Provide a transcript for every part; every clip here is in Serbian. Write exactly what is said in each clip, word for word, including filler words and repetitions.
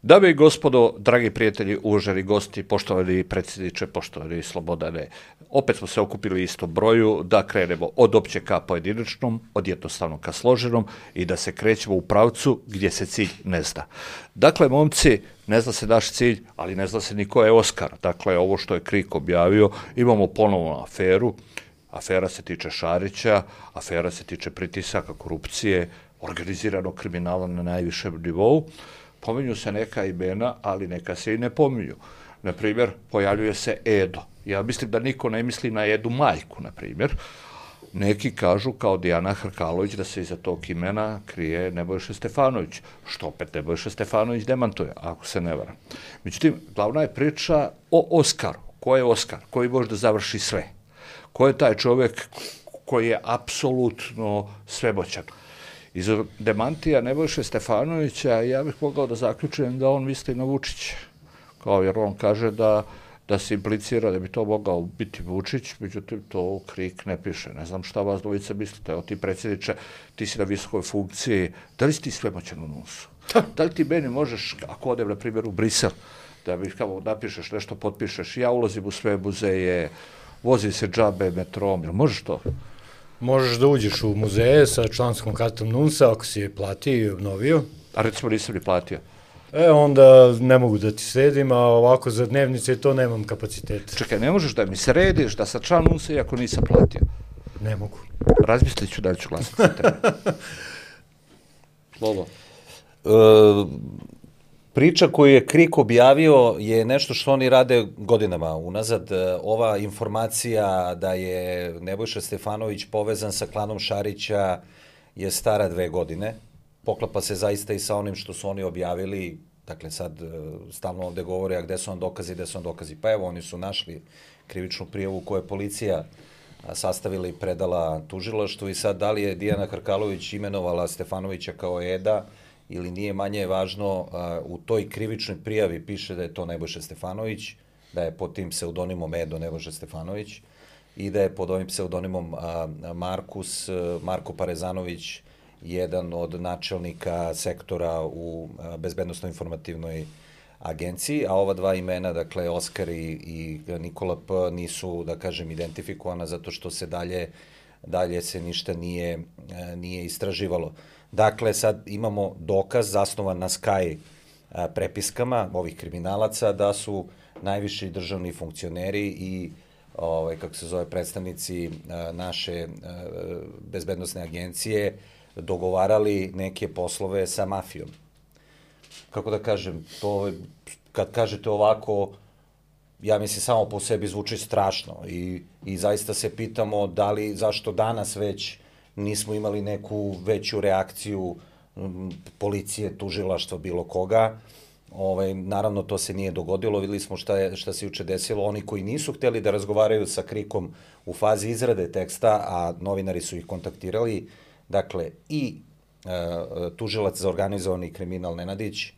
Dame i gospodo, dragi prijatelji, uvaženi gosti, poštovani predsjedniče, poštovani Slobodane, opet smo se okupili isto broju da krenemo od opće ka pojedinačnom, od jednostavnom ka složenom i da se krećemo u pravcu gdje se cilj ne zna. Dakle, momci, ne zna se naš cilj, ali ne zna se ni ko je Oskar. Dakle, ovo što je Krik objavio, imamo ponovnu aferu. Afera se tiče Šarića, afera se tiče pritisaka, korupcije, organiziranog kriminala na najvišem nivou. Pominju se neka imena, ali neka se i ne pominju. Naprimjer, pojavljuje se Edo. Ja mislim da niko ne misli na Edu majku, na primjer. Neki kažu kao Dijana Hrkalović da se iza tog imena krije Nebojša Stefanović, što opet Nebojša Stefanović demantuje, ako se ne varam. Međutim, glavna je priča o Oskaru. Ko je Oskar? Koji može da završi sve? Ko je taj čovjek koji je apsolutno svemoćan? Iz demantija Nebojše Stefanovića ja bih mogao da zaključujem da on misli na Vučića. Kao jer on kaže da, da se implicira da bi to mogao biti Vučić, međutim to Krik ne piše. Ne znam šta vas dvojica mislite. Evo ti predsjedniče, ti si na visokoj funkciji, da li si ti svemoćan u nosu? Da li ti meni možeš, ako odem na primjer u Brisel, da mi kao napišeš nešto, potpišeš, ja ulazim u sve muzeje, vozim se džabe metrom, jel možeš to? Možeš da uđeš u muzeje sa članskom kartom NUNS-a ako si je platio i obnovio. A recimo nisam ni platio. E, onda ne mogu da ti sredim, a ovako za dnevnice to nemam kapaciteta. Čekaj, ne možeš da mi središ da sa član NUNS-a iako nisam platio? Ne mogu. Razmislit ću da li ću glasati za tebe. Lolo. E, priča koju je Krik objavio je nešto što oni rade godinama unazad. Ova informacija da je Nebojša Stefanović povezan sa klanom Šarića je stara dve godine. Poklapa se zaista i sa onim što su oni objavili. Dakle, sad stalno ovde govore, a gde su vam dokazi, gde su vam dokazi. Pa evo, oni su našli krivičnu prijavu koju je policija sastavila i predala tužilaštvu i sad da li je Dijana Hrkalović imenovala Stefanovića kao Eda ili nije, manje je važno, u toj krivičnoj prijavi piše da je to Nebojša Stefanović, da je pod tim pseudonimom Edo Nebojša Stefanović i da je pod ovim pseudonimom Markus, Marko Parezanović, jedan od načelnika sektora u Bezbednosno-informativnoj agenciji, a ova dva imena, dakle Oskar i, i Nikola P, nisu, da kažem, identifikovana zato što se dalje, dalje se ništa nije, nije istraživalo. Dakle, sad imamo dokaz zasnovan na Sky prepiskama ovih kriminalaca da su najviši državni funkcioneri i ovaj, kako se zove, predstavnici naše bezbednosne agencije dogovarali neke poslove sa mafijom. Kako da kažem, to kad kažete ovako, ja mislim samo po sebi zvuči strašno i, i zaista se pitamo da li, zašto danas već nismo imali neku veću reakciju m, policije, tužilaštva, bilo koga. Ovaj, naravno, to se nije dogodilo. Videli smo šta, je, šta se juče desilo. Oni koji nisu hteli da razgovaraju sa Krikom u fazi izrade teksta, a novinari su ih kontaktirali, dakle, i e, tužilac za organizovani kriminal Nenadić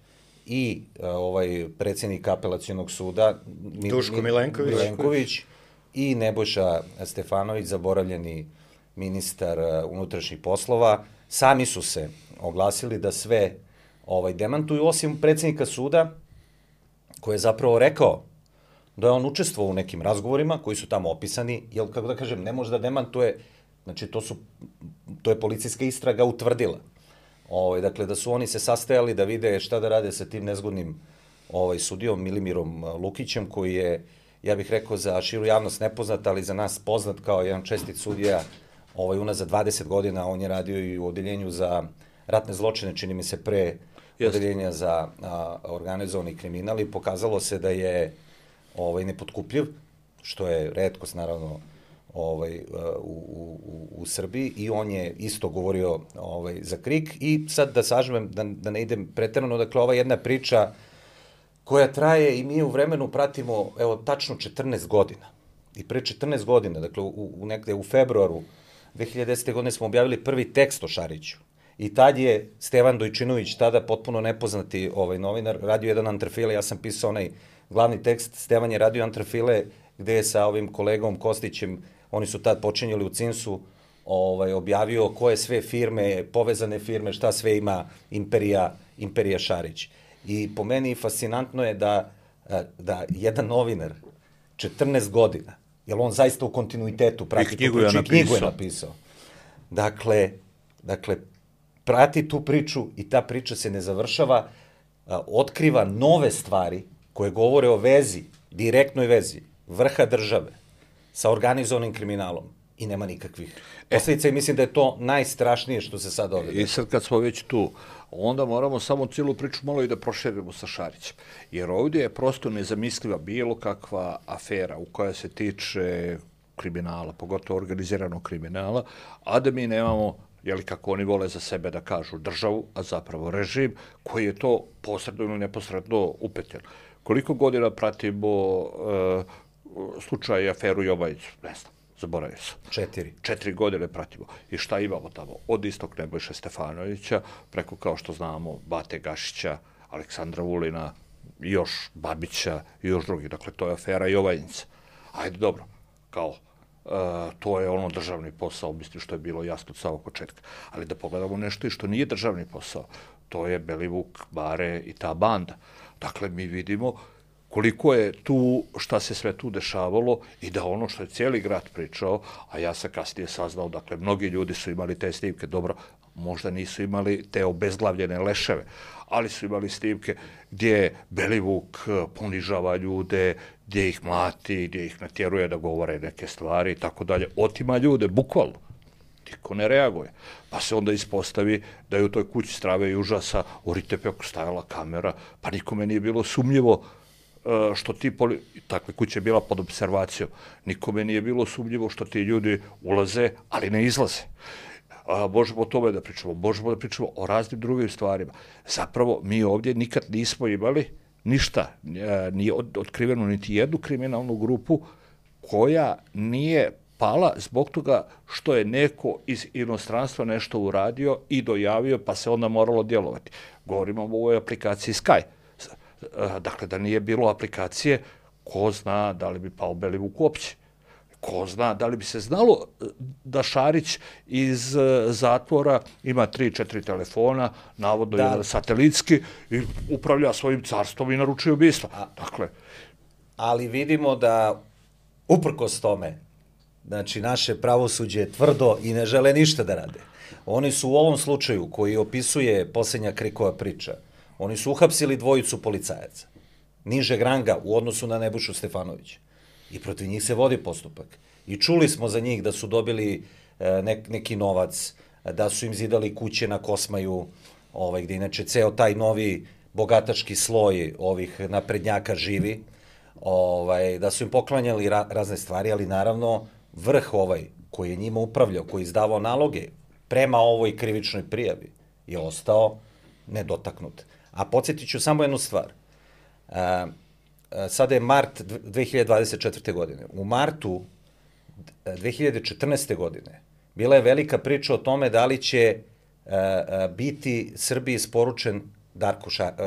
i e, ovaj predsjednik apelacionog suda Duško Milenković. Milenković i Nebojša Stefanović, zaboravljeni ministar unutrašnjih poslova, sami su se oglasili da sve ovaj, demantuju, osim predsjednika suda, koji je zapravo rekao da je on učestvovao u nekim razgovorima koji su tamo opisani, jer, kako da kažem, ne može da demantuje, znači to, su, to je policijska istraga utvrdila. Ovaj, dakle, da su oni se sastajali da vide šta da rade sa tim nezgodnim ovaj, sudijom Milimirom Lukićem, koji je, ja bih rekao, za širu javnost nepoznat, ali za nas poznat kao jedan čestit sudija. Ovaj, unazad dvadeset godina on je radio i u odeljenju za ratne zločine, čini mi se pre odeljenja za a, organizovani kriminal i pokazalo se da je ovaj, nepotkupljiv, što je retkost naravno ovaj, u, u, u Srbiji, i on je isto govorio ovaj, za Krik. I sad da sažmem, da, da ne idem preterano, dakle ova jedna priča koja traje i mi u vremenu pratimo, evo, tačno četrnaest godina. I pre četrnaest godina, dakle u, u negde u februaru dve hiljade desete. godine smo objavili prvi tekst o Šariću. I tad je Stevan Dojčinović, tada potpuno nepoznati ovaj novinar, radio jedan antrafile, ja sam pisao onaj glavni tekst, Stevan je radio antrafile gde je sa ovim kolegom Kostićem, oni su tad počinjeli u Cinsu, ovaj, objavio koje sve firme, povezane firme, šta sve ima Imperija, Imperija Šarić. I po meni fascinantno je da, da jedan novinar četrnaest godina, jer on zaista u kontinuitetu prati tu priču i knjigu je napisao. Dakle, dakle, prati tu priču i ta priča se ne završava, otkriva nove stvari koje govore o vezi, direktnoj vezi vrha države sa organizovanim kriminalom i nema nikakvih posledica i mislim da je to najstrašnije što se sad ovdje. I sad kad smo već tu, onda moramo samo cijelu priču malo i da proširimo sa Šarićem. Jer ovdje je prosto nezamisliva bilo kakva afera u koja se tiče kriminala, pogotovo organiziranog kriminala, a da mi nemamo, jeli kako oni vole za sebe da kažu, državu, a zapravo režim, koji je to posredno ili neposredno upetljen. Koliko godina pratimo uh, slučaj i aferu Jobajicu? Ne znam, zaboravio sam. Četiri. Četiri godine pratimo. I šta imamo tamo? Od istog Nebojše Stefanovića, preko, kao što znamo, Bate Gašića, Aleksandra Vulina, još Babića i još drugih. Dakle, to je afera Jovanjica. Ajde, dobro, kao, Uh, to je ono državni posao, mislim što je bilo jasno od samog početka. Ali da pogledamo nešto i što nije državni posao, to je Belivuk, Bare i ta banda. Dakle, mi vidimo koliko je tu, šta se sve tu dešavalo i da ono što je cijeli grad pričao, a ja sam kasnije saznao, dakle, mnogi ljudi su imali te snimke, dobro, možda nisu imali te obezglavljene leševe, ali su imali snimke gdje Belivuk ponižava ljude, gdje ih mlati, gdje ih natjeruje da govore neke stvari i tako dalje. Otima ljude, bukvalno. Niko ne reaguje. Pa se onda ispostavi da je u toj kući strave i užasa u Ritepeku stajala kamera, pa nikome nije bilo sumnjivo što ti, poli... takve kuće je bila pod observacijom, nikome nije bilo sumnjivo što ti ljudi ulaze, ali ne izlaze. A, možemo o tome da pričamo, možemo da pričamo o raznim drugim stvarima. Zapravo, mi ovdje nikad nismo imali ništa, nije otkriveno niti jednu kriminalnu grupu koja nije pala zbog toga što je neko iz inostranstva nešto uradio i dojavio, pa se onda moralo djelovati. Govorimo o ovoj aplikaciji Sky. Dakle, da nije bilo aplikacije, ko zna da li bi pao Belivuk uopće. Ko zna da li bi se znalo da Šarić iz zatvora ima tri, četiri telefona, navodno da. Jedan satelitski, i upravlja svojim carstvom i naručuje ubistva. Dakle, ali vidimo da, uprkos tome, znači, naše pravosuđe je tvrdo i ne žele ništa da rade. Oni su u ovom slučaju, koji opisuje posljednja Krikova priča, oni su uhapsili dvojicu policajaca, nižeg ranga u odnosu na Nebojšu Stefanovića. I protiv njih se vodi postupak. I čuli smo za njih da su dobili nek, neki novac, da su im zidali kuće na Kosmaju, ovaj, gdje inače ceo taj novi bogatački sloj ovih naprednjaka živi, ovaj, da su im poklanjali ra, razne stvari, ali naravno vrh ovaj koji je njima upravljao, koji je izdavao naloge prema ovoj krivičnoj prijavi, je ostao nedotaknut. A podsjetit ću samo jednu stvar. A, sada je mart dve hiljade dvadeset četvrte. godine. U martu dve hiljade četrnaeste. godine bila je velika priča o tome da li će a, a, biti Srbiji isporučen Darko Šarić.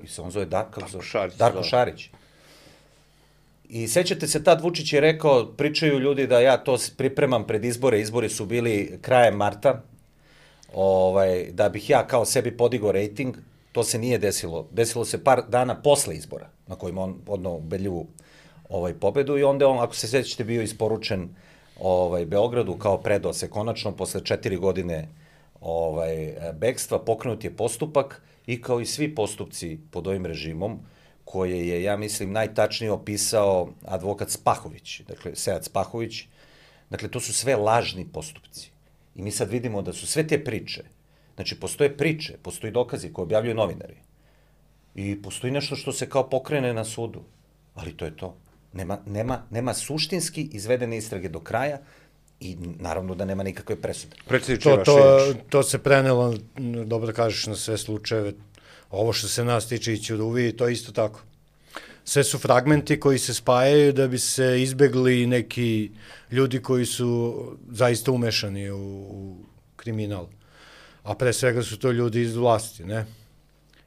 Se on zove Darko, Darko Šarić. Darko Šarić. I sećate se, tad Vučić je rekao, pričaju ljudi da ja to pripremam pred izbore, izbori su bili krajem marta, ovaj, da bih ja kao sebi podigao rejting. To se nije desilo. Desilo se par dana posle izbora, na kojima on odnao ubedljivu ovaj, pobedu, i onda on, ako se sećate, bio isporučen ovaj, Beogradu, kao predao se konačno posle četiri godine ovaj, bekstva, pokrenut je postupak i kao i svi postupci pod ovim režimom, koje je, ja mislim, najtačnije opisao advokat Spahović, dakle, Sead Spahović, dakle, to su sve lažni postupci. I mi sad vidimo da su sve te priče, znači, postoje priče, postoji dokazi koje objavljuju novinari i postoji nešto što se kao pokrene na sudu, ali to je to. Nema, nema, nema suštinski izvedene istrage do kraja i naravno da nema nikakve presude. To, to, to se prenelo, dobro da kažeš, na sve slučajeve. Ovo što se nas tiče ići od uviji, to je isto tako. Sve su fragmenti koji se spajaju da bi se izbegli neki ljudi koji su zaista umešani u, u kriminal. A pre svega su to ljudi iz vlasti, ne?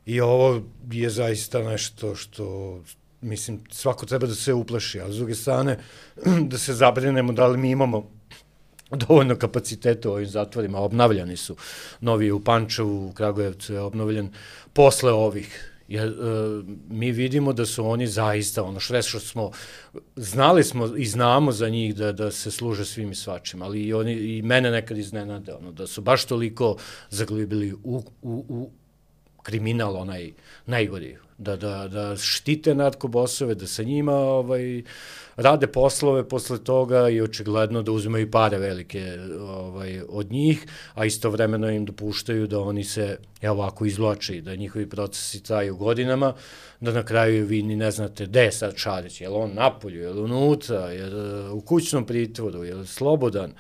I ovo je zaista nešto što, mislim, svako treba da se uplaši, a s druge strane da se zabrinemo da li mi imamo dovoljno kapaciteta u ovim zatvorima. Obnavljani su novi u Pančevu, u Kragujevcu je obnovljen posle ovih. Jer, mi vidimo da su oni zaista, ono što što smo, znali smo i znamo za njih da, da se služe svim i svačim, ali i, oni, i mene nekad iznenade, ono, da su baš toliko zaglibili u, u, u kriminal onaj najgori, da, da, da štite narkobosove, da sa njima ovaj, rade poslove posle toga i očigledno da uzimaju pare velike ovaj, od njih, a istovremeno im dopuštaju da oni se ja, ovako izvlače, da njihovi procesi traju godinama, da na kraju vi ni ne znate gde je sad Šarić, je li on napolju, je li unutra, je li u kućnom pritvoru, je li slobodan.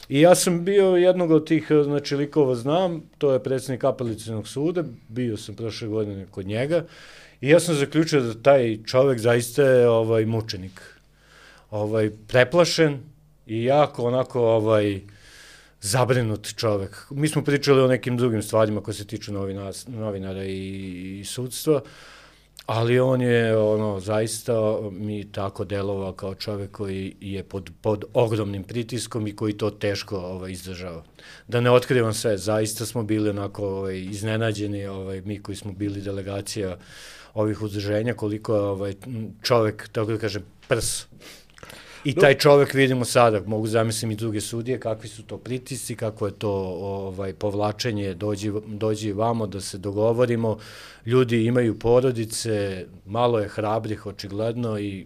I ja sam bio jednog od tih, znači, likova znam, to je predsjednik Apelacionog suda, bio sam prošle godine kod njega i ja sam zaključio da taj čovek zaista je ovaj, mučenik, ovaj, preplašen i jako onako ovaj, zabrinut čovek. Mi smo pričali o nekim drugim stvarima koje se tiču novina, novinara i, i sudstva, ali on je ono zaista mi tako delovao kao čovek koji je pod, pod ogromnim pritiskom i koji to teško ovaj, izdržava. Da ne otkrivam sve, zaista smo bili onako ovaj, iznenađeni, ovaj, mi koji smo bili delegacija ovih udruženja, koliko je ovaj, čovek, tako da kažem, prs. I taj čovek vidimo sada, mogu zamislim i druge sudije, kakvi su to pritisci, kako je to ovaj, povlačenje, dođi, dođi vamo da se dogovorimo, ljudi imaju porodice, malo je hrabrih očigledno i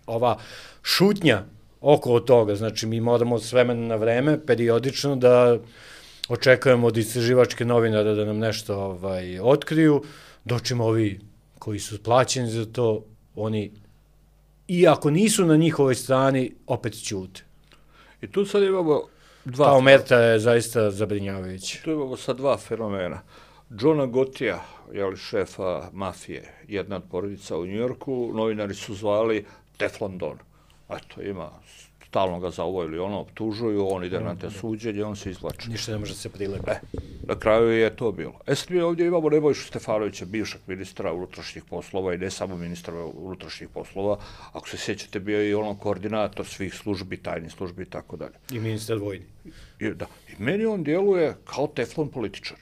ova šutnja oko toga, znači mi moramo s vremena na vreme, periodično da očekujemo od istraživačke novinara da nam nešto ovaj, otkriju, dočimo ovi koji su plaćeni za to, oni i ako nisu na njihovoj strani, opet ćute. I tu sad imamo dva... Ta omerta je zaista zabrinjavajuća. Tu imamo sad dva fenomena. Johna Gottija, jeli šefa mafije, jedna od porodica u Njujorku, novinari su zvali Teflon Don. Eto, ima, stalno ga za ovo ili ono optužuju, on ide na te suđenje, on se izvlači. Ništa ne može se prilepi. E, na kraju je to bilo. E sad mi ovdje imamo Nebojšu Stefanovića, bivšeg ministra unutrašnjih poslova i ne samo ministra unutrašnjih poslova, ako se sjećate bio i ono koordinator svih službi, tajnih službi i tako dalje. I ministar vojni. I, da, i meni on djeluje kao teflon političar.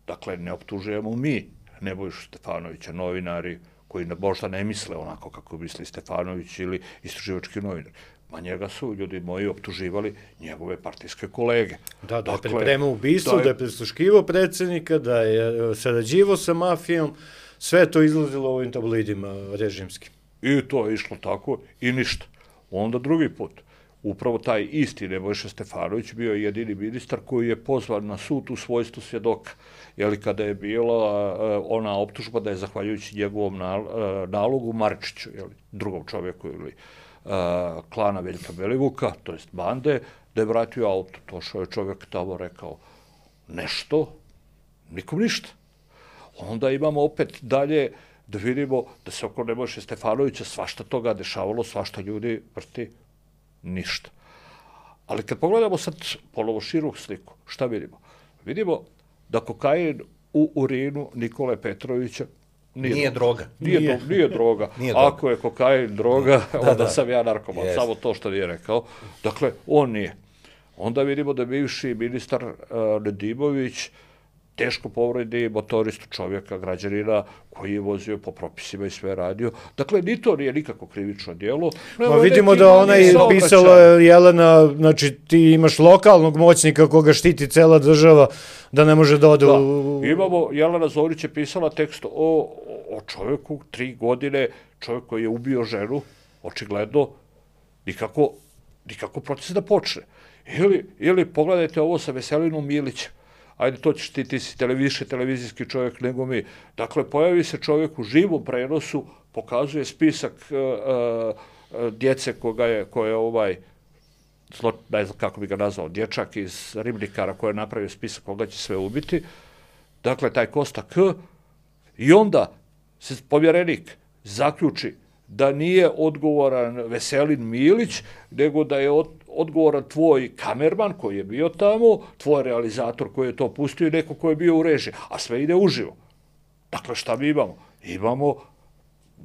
Dakle, ne optužujemo mi Nebojšu Stefanovića, novinari koji možda ne misle onako kako misli Stefanović ili istraživački novinar. Ma njega su ljudi moji optuživali njegove partijske kolege. Da, da je pripremao ubistvo, da je prisluškivao predsjednika, da je sarađivao sa mafijom, sve to izlazilo u ovim tabloidima režimskim. I to je išlo tako i ništa. Onda drugi put, upravo taj isti Nebojša Stefanović bio jedini ministar koji je pozvan na sud u svojstvu svjedoka. Jeli kada je bila ona optužba da je zahvaljujući njegovom nalogu Marčiću, jeli, drugom čovjeku ili klana Veljka Belivuka, to jest bande, da je vratio auto. To što je čovjek tamo rekao nešto, nikom ništa. Onda imamo opet dalje da vidimo da se oko Nebojše Stefanovića svašta toga dešavalo, svašta ljudi vrti, ništa. Ali kad pogledamo sad ponovo širu sliku, šta vidimo? Vidimo da kokain u urinu Nikole Petrovića Nije, nije droga. Nije, nije. Do, nije droga. Nije droga. Ako je kokain droga, da, onda da. sam ja narkoman. Yes. Samo to što nije rekao. Dakle, on nije. Onda vidimo da bivši ministar uh, Nedimović teško povredi motoristu čovjeka, građanina, koji je vozio po propisima i sve radio. Dakle, ni to nije nikako krivično djelo. Ma vidimo da ona je pisala Jelena, znači ti imaš lokalnog moćnika koga štiti cela država, da ne može da ode da. u... Imamo, Jelena Zorić je pisala tekst o, o čovjeku, tri godine, čovjek koji je ubio ženu, očigledno, nikako, nikako proces da počne. Ili, ili pogledajte ovo sa Veselinom Milićem. Ajde, to ćeš ti, ti si više televizijski čovjek nego mi. Dakle, pojavi se čovjek u živom prenosu, pokazuje spisak uh, uh, djece koga je, koje je ovaj, zlo, ne znam kako bi ga nazvao, dječak iz Ribnikara koji je napravio spisak koga će sve ubiti. Dakle, taj Kosta K. I onda se povjerenik zaključi da nije odgovoran Veselin Milić, nego da je od, odgovoran tvoj kamerman koji je bio tamo, tvoj realizator koji je to pustio i neko koji je bio u režiji, a sve ide uživo. Dakle, šta mi imamo? Imamo,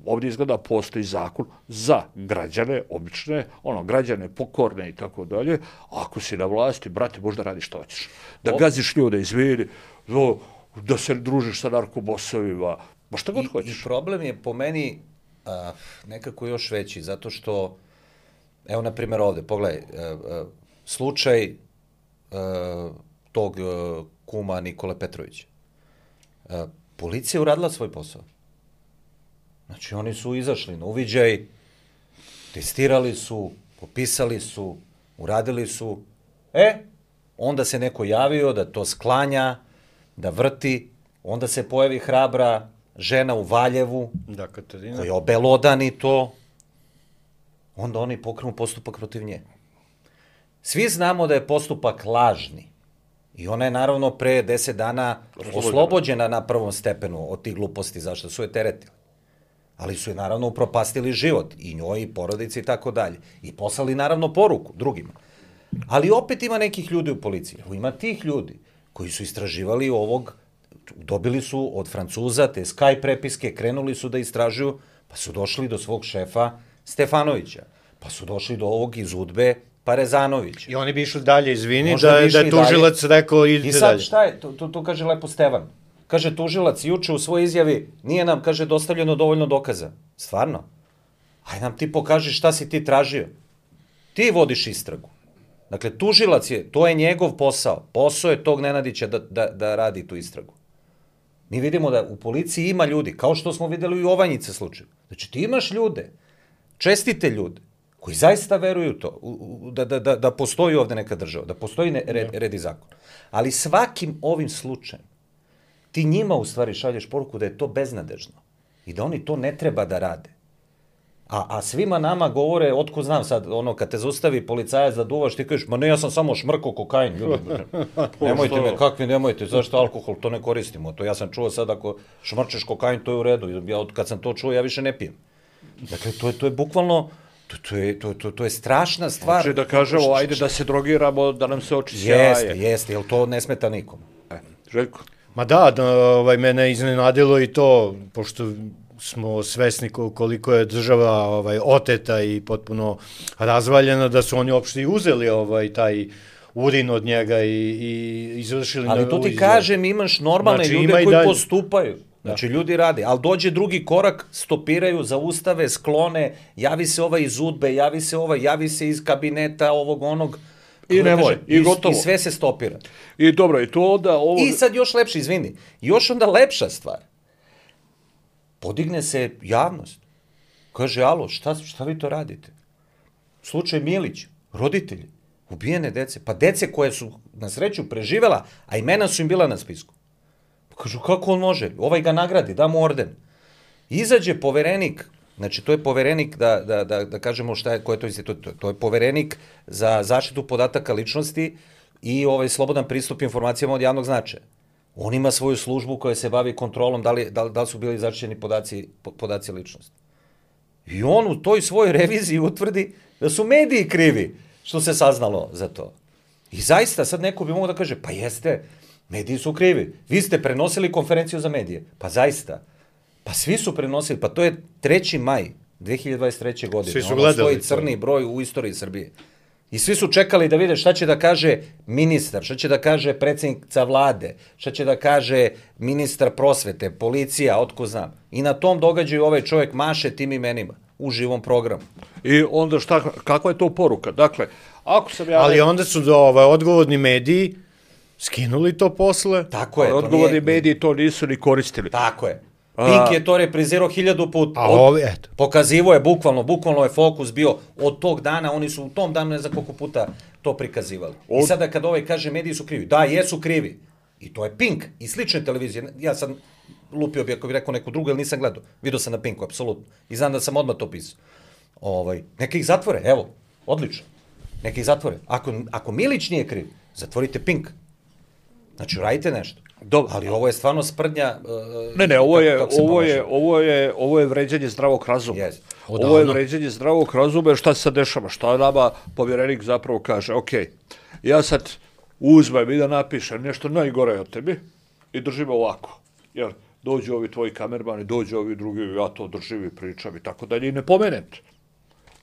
ovdje izgleda postoji zakon za građane, obične, ono, građane pokorne i tako dalje, ako si na vlasti, brate, možda radiš što hoćeš. Da gaziš ljude, izvini, da se družiš sa narkobosovima, Ma šta god I, hoćeš. I problem je po meni a, nekako još veći, zato što, evo na primjer ovde, pogledaj, a, a, slučaj a, tog a, kuma Nikole Petrovića. A, policija je uradila svoj posao. Znači, oni su izašli na uviđaj, testirali su, popisali su, uradili su. E, onda se neko javio da to sklanja, da vrti, onda se pojavi hrabra žena u Valjevu, Da, Katarina. koja obelodani to, onda oni pokrenu postupak protiv nje. Svi znamo da je postupak lažni. I ona je naravno pre deset dana oslobođena na prvom stepenu od tih gluposti, zašto su je teretili. Ali su je naravno upropastili život, i njoj, i porodici, i tako dalje. I poslali naravno poruku drugima. Ali opet ima nekih ljudi u policiji. Evo, ima tih ljudi koji su istraživali ovog, dobili su od Francuza te Sky prepiske, krenuli su da istražuju, pa su došli do svog šefa Stefanovića, pa su došli do ovog iz Udbe Parezanovića. I oni bi išli dalje, izvini, Možda da, bi da išli je tužilac rekao idite I dalje. sad šta je, to, to, to kaže lepo Stevan. Kaže tužilac juče u svojoj izjavi, nije nam, kaže, dostavljeno dovoljno dokaza. Stvarno? Aj nam ti pokaži šta si ti tražio. Ti vodiš istragu. Dakle, tužilac je, to je njegov posao. Posao je tog Nenadića da, da, da radi tu istragu. Mi vidimo da u policiji ima ljudi, kao što smo videli i u Ovanjice slučaju. Znači, ti imaš ljude, čestite ljude, koji zaista veruju to, u, u, da, da, da, da postoji ovde neka država, da postoji ne, red, red i zakon. Ali svakim ovim slučajem ti njima u stvari šalješ poruku da je to beznadežno i da oni to ne treba da rade. A, a svima nama govore, otko znam sad, ono, kad te zaustavi policajac da duvaš, ti kažeš, ma ne, ja sam samo šmrko kokain, ljudi. Nemojte me, kakvi nemojte, zašto alkohol, to ne koristimo. To ja sam čuo sad, ako šmrčeš kokain, to je u redu. Ja, kad sam to čuo, ja više ne pijem. Dakle, to je, to je bukvalno, to, to, je, to, to, to je strašna stvar. Znači da kažemo, ajde da se drogiramo, da nam se oči sjaje. Jeste, jeste, jer to ne smeta nikom. E, Željko? Ma da, da, ovaj, mene je iznenadilo i to, pošto smo svesni koliko je država ovaj, oteta i potpuno razvaljena, da su oni uopšte i uzeli ovaj, taj urin od njega i, i izvršili... Ali to ti kažem, imaš normalne znači, ljude ima koji dalje postupaju. Znači, ljudi rade, ali dođe drugi korak, stopiraju, zaustave, sklone, javi se ovaj iz Udbe, javi se ovaj, javi se iz kabineta ovog onog, I nemoj, i gotovo. I sve se stopira. I dobro, i to onda... Ovo... I sad još lepše, izvini, još onda lepša stvar. Podigne se javnost. Kaže, alo, šta, šta vi to radite? Slučaj Milić, roditelji, ubijene dece, pa dece koje su na sreću preživela, a imena su im bila na spisku. Pa kažu, kako on može? Ovaj ga nagradi, da mu orden. Izađe poverenik, znači to je poverenik, da, da, da, da kažemo šta je, ko je to institut, to, to je poverenik za zaštitu podataka ličnosti i ovaj slobodan pristup informacijama od javnog značaja. On ima svoju službu koja se bavi kontrolom da li, da, li, da li su bili zaštićeni podaci, podaci ličnosti. I on u toj svojoj reviziji utvrdi da su mediji krivi što se saznalo za to. I zaista sad neko bi mogao da kaže, pa jeste, mediji su krivi. Vi ste prenosili konferenciju za medije. Pa zaista. Pa svi su prenosili. Pa to je treći maj dve hiljade dvadeset treće. godine. Svi su ono gledali stoji crni broj u istoriji Srbije. I svi su čekali da vide šta će da kaže ministar, šta će da kaže predsjednica vlade, šta će da kaže ministar prosvete, policija, otko znam. I na tom događaju ovaj čovjek maše tim imenima u živom programu. I onda šta, kakva je to poruka? Dakle, ako sam ja... Ali onda su do, ovaj, odgovorni mediji skinuli to posle. Tako je. Odgovorni mediji to nisu ni koristili. Tako je. Pink je to reprizirao hiljadu puta. A ovi, eto. Pokazivo je bukvalno, bukvalno je fokus bio od tog dana, oni su u tom danu ne znam koliko puta to prikazivali. Od... I sada kad ovaj kaže mediji su krivi, da, jesu krivi. I to je Pink i slične televizije. Ja sam lupio bi ako bih rekao neku drugu, jer nisam gledao. Vidio sam na Pinku, apsolutno. I znam da sam odmah to pisao. Ovaj, neka ih zatvore, evo, odlično. Neka ih zatvore. Ako, ako Milić nije kriv, zatvorite Pink. Znači, radite nešto. Dobro. Ali ovo je stvarno sprdnja... Uh, ne, ne, ovo je, ovo je, ovo je, ovo je vređanje zdravog razuma. Yes. Ovo je vređanje zdravog razuma, šta se sad dešava, šta nama povjerenik zapravo kaže, ok, ja sad uzmem i da napišem nešto najgore od tebi i držim ovako, jer dođu ovi tvoji kamermani, dođu ovi drugi, ja to držim i pričam i tako dalje i ne pomenem te.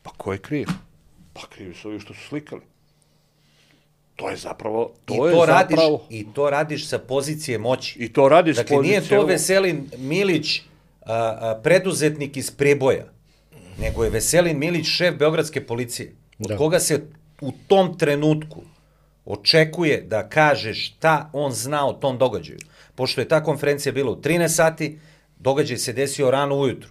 Pa ko je kriv? Pa krivi su ovi što su slikali. To je zapravo, to, I to je radiš, zapravo... I to radiš sa pozicije moći. I to radiš dakle, s pozicije... Dakle, nije to Veselin Milić a, preduzetnik iz Preboja, nego je Veselin Milić šef Beogradske policije, od da. koga se u tom trenutku očekuje da kaže šta on zna o tom događaju. Pošto je ta konferencija bila u trinaest sati, događaj se desio rano ujutru.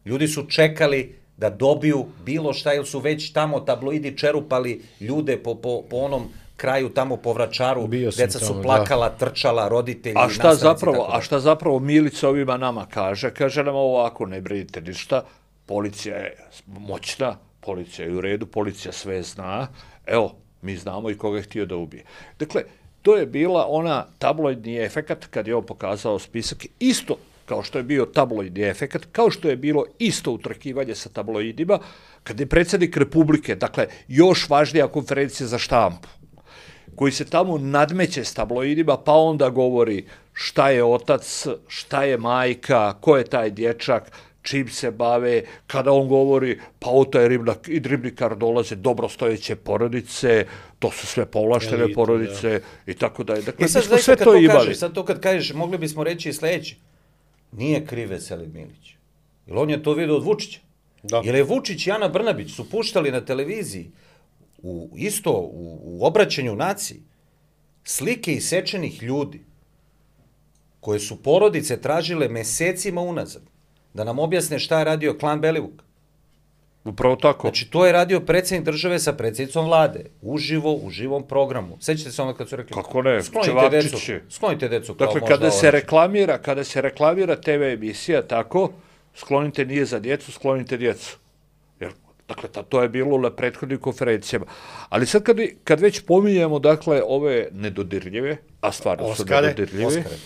Ljudi su čekali da dobiju bilo šta, jer su već tamo tabloidi čerupali ljude po, po, po onom kraju tamo po Vračaru, deca su tamo, plakala, da. trčala, roditelji, a šta zapravo, a šta zapravo Milić ovima nama kaže? Kaže nam ovako, ne brinite ništa, policija je moćna, policija je u redu, policija sve zna, evo, mi znamo i koga je htio da ubije. Dakle, to je bila ona tabloidni efekat kad je on pokazao spisak, isto kao što je bio tabloidni efekat, kao što je bilo isto utrkivanje sa tabloidima, kad je predsjednik Republike, dakle, još važnija konferencija za štampu, koji se tamo nadmeće s tabloidima, pa onda govori šta je otac, šta je majka, ko je taj dječak, čim se bave, kada on govori, pa o taj ribnikar dolaze dobrostojeće porodice, to su sve povlaštene Elite, porodice da. i tako da je. Dakle, I sad, smo sve to, to imali. Kažeš, sad to kad kažeš, mogli bismo reći i sljedeće. Nije kriv Veselin Milić. Jer on je to vidio od Vučića. Da. Jer je Vučić i Ana Brnabić su puštali na televiziji u, isto u, u obraćanju naciji slike isečenih ljudi koje su porodice tražile mesecima unazad da nam objasne šta je radio klan Belivuk. Upravo tako. Znači, to je radio predsjednik države sa predsjednicom vlade. Uživo, u živom programu. Sećate se onda kad su rekli... Kako ne, sklonite decu. Sklonite decu. Dakle, kada se reklamira, kada se reklamira te ve emisija, tako, sklonite nije za djecu, sklonite djecu. Jer, dakle, to je bilo na prethodnim konferencijama. Ali sad kad, kad već pominjemo, dakle, ove nedodirljive, a stvarno Oskare. su nedodirljive... Oskare.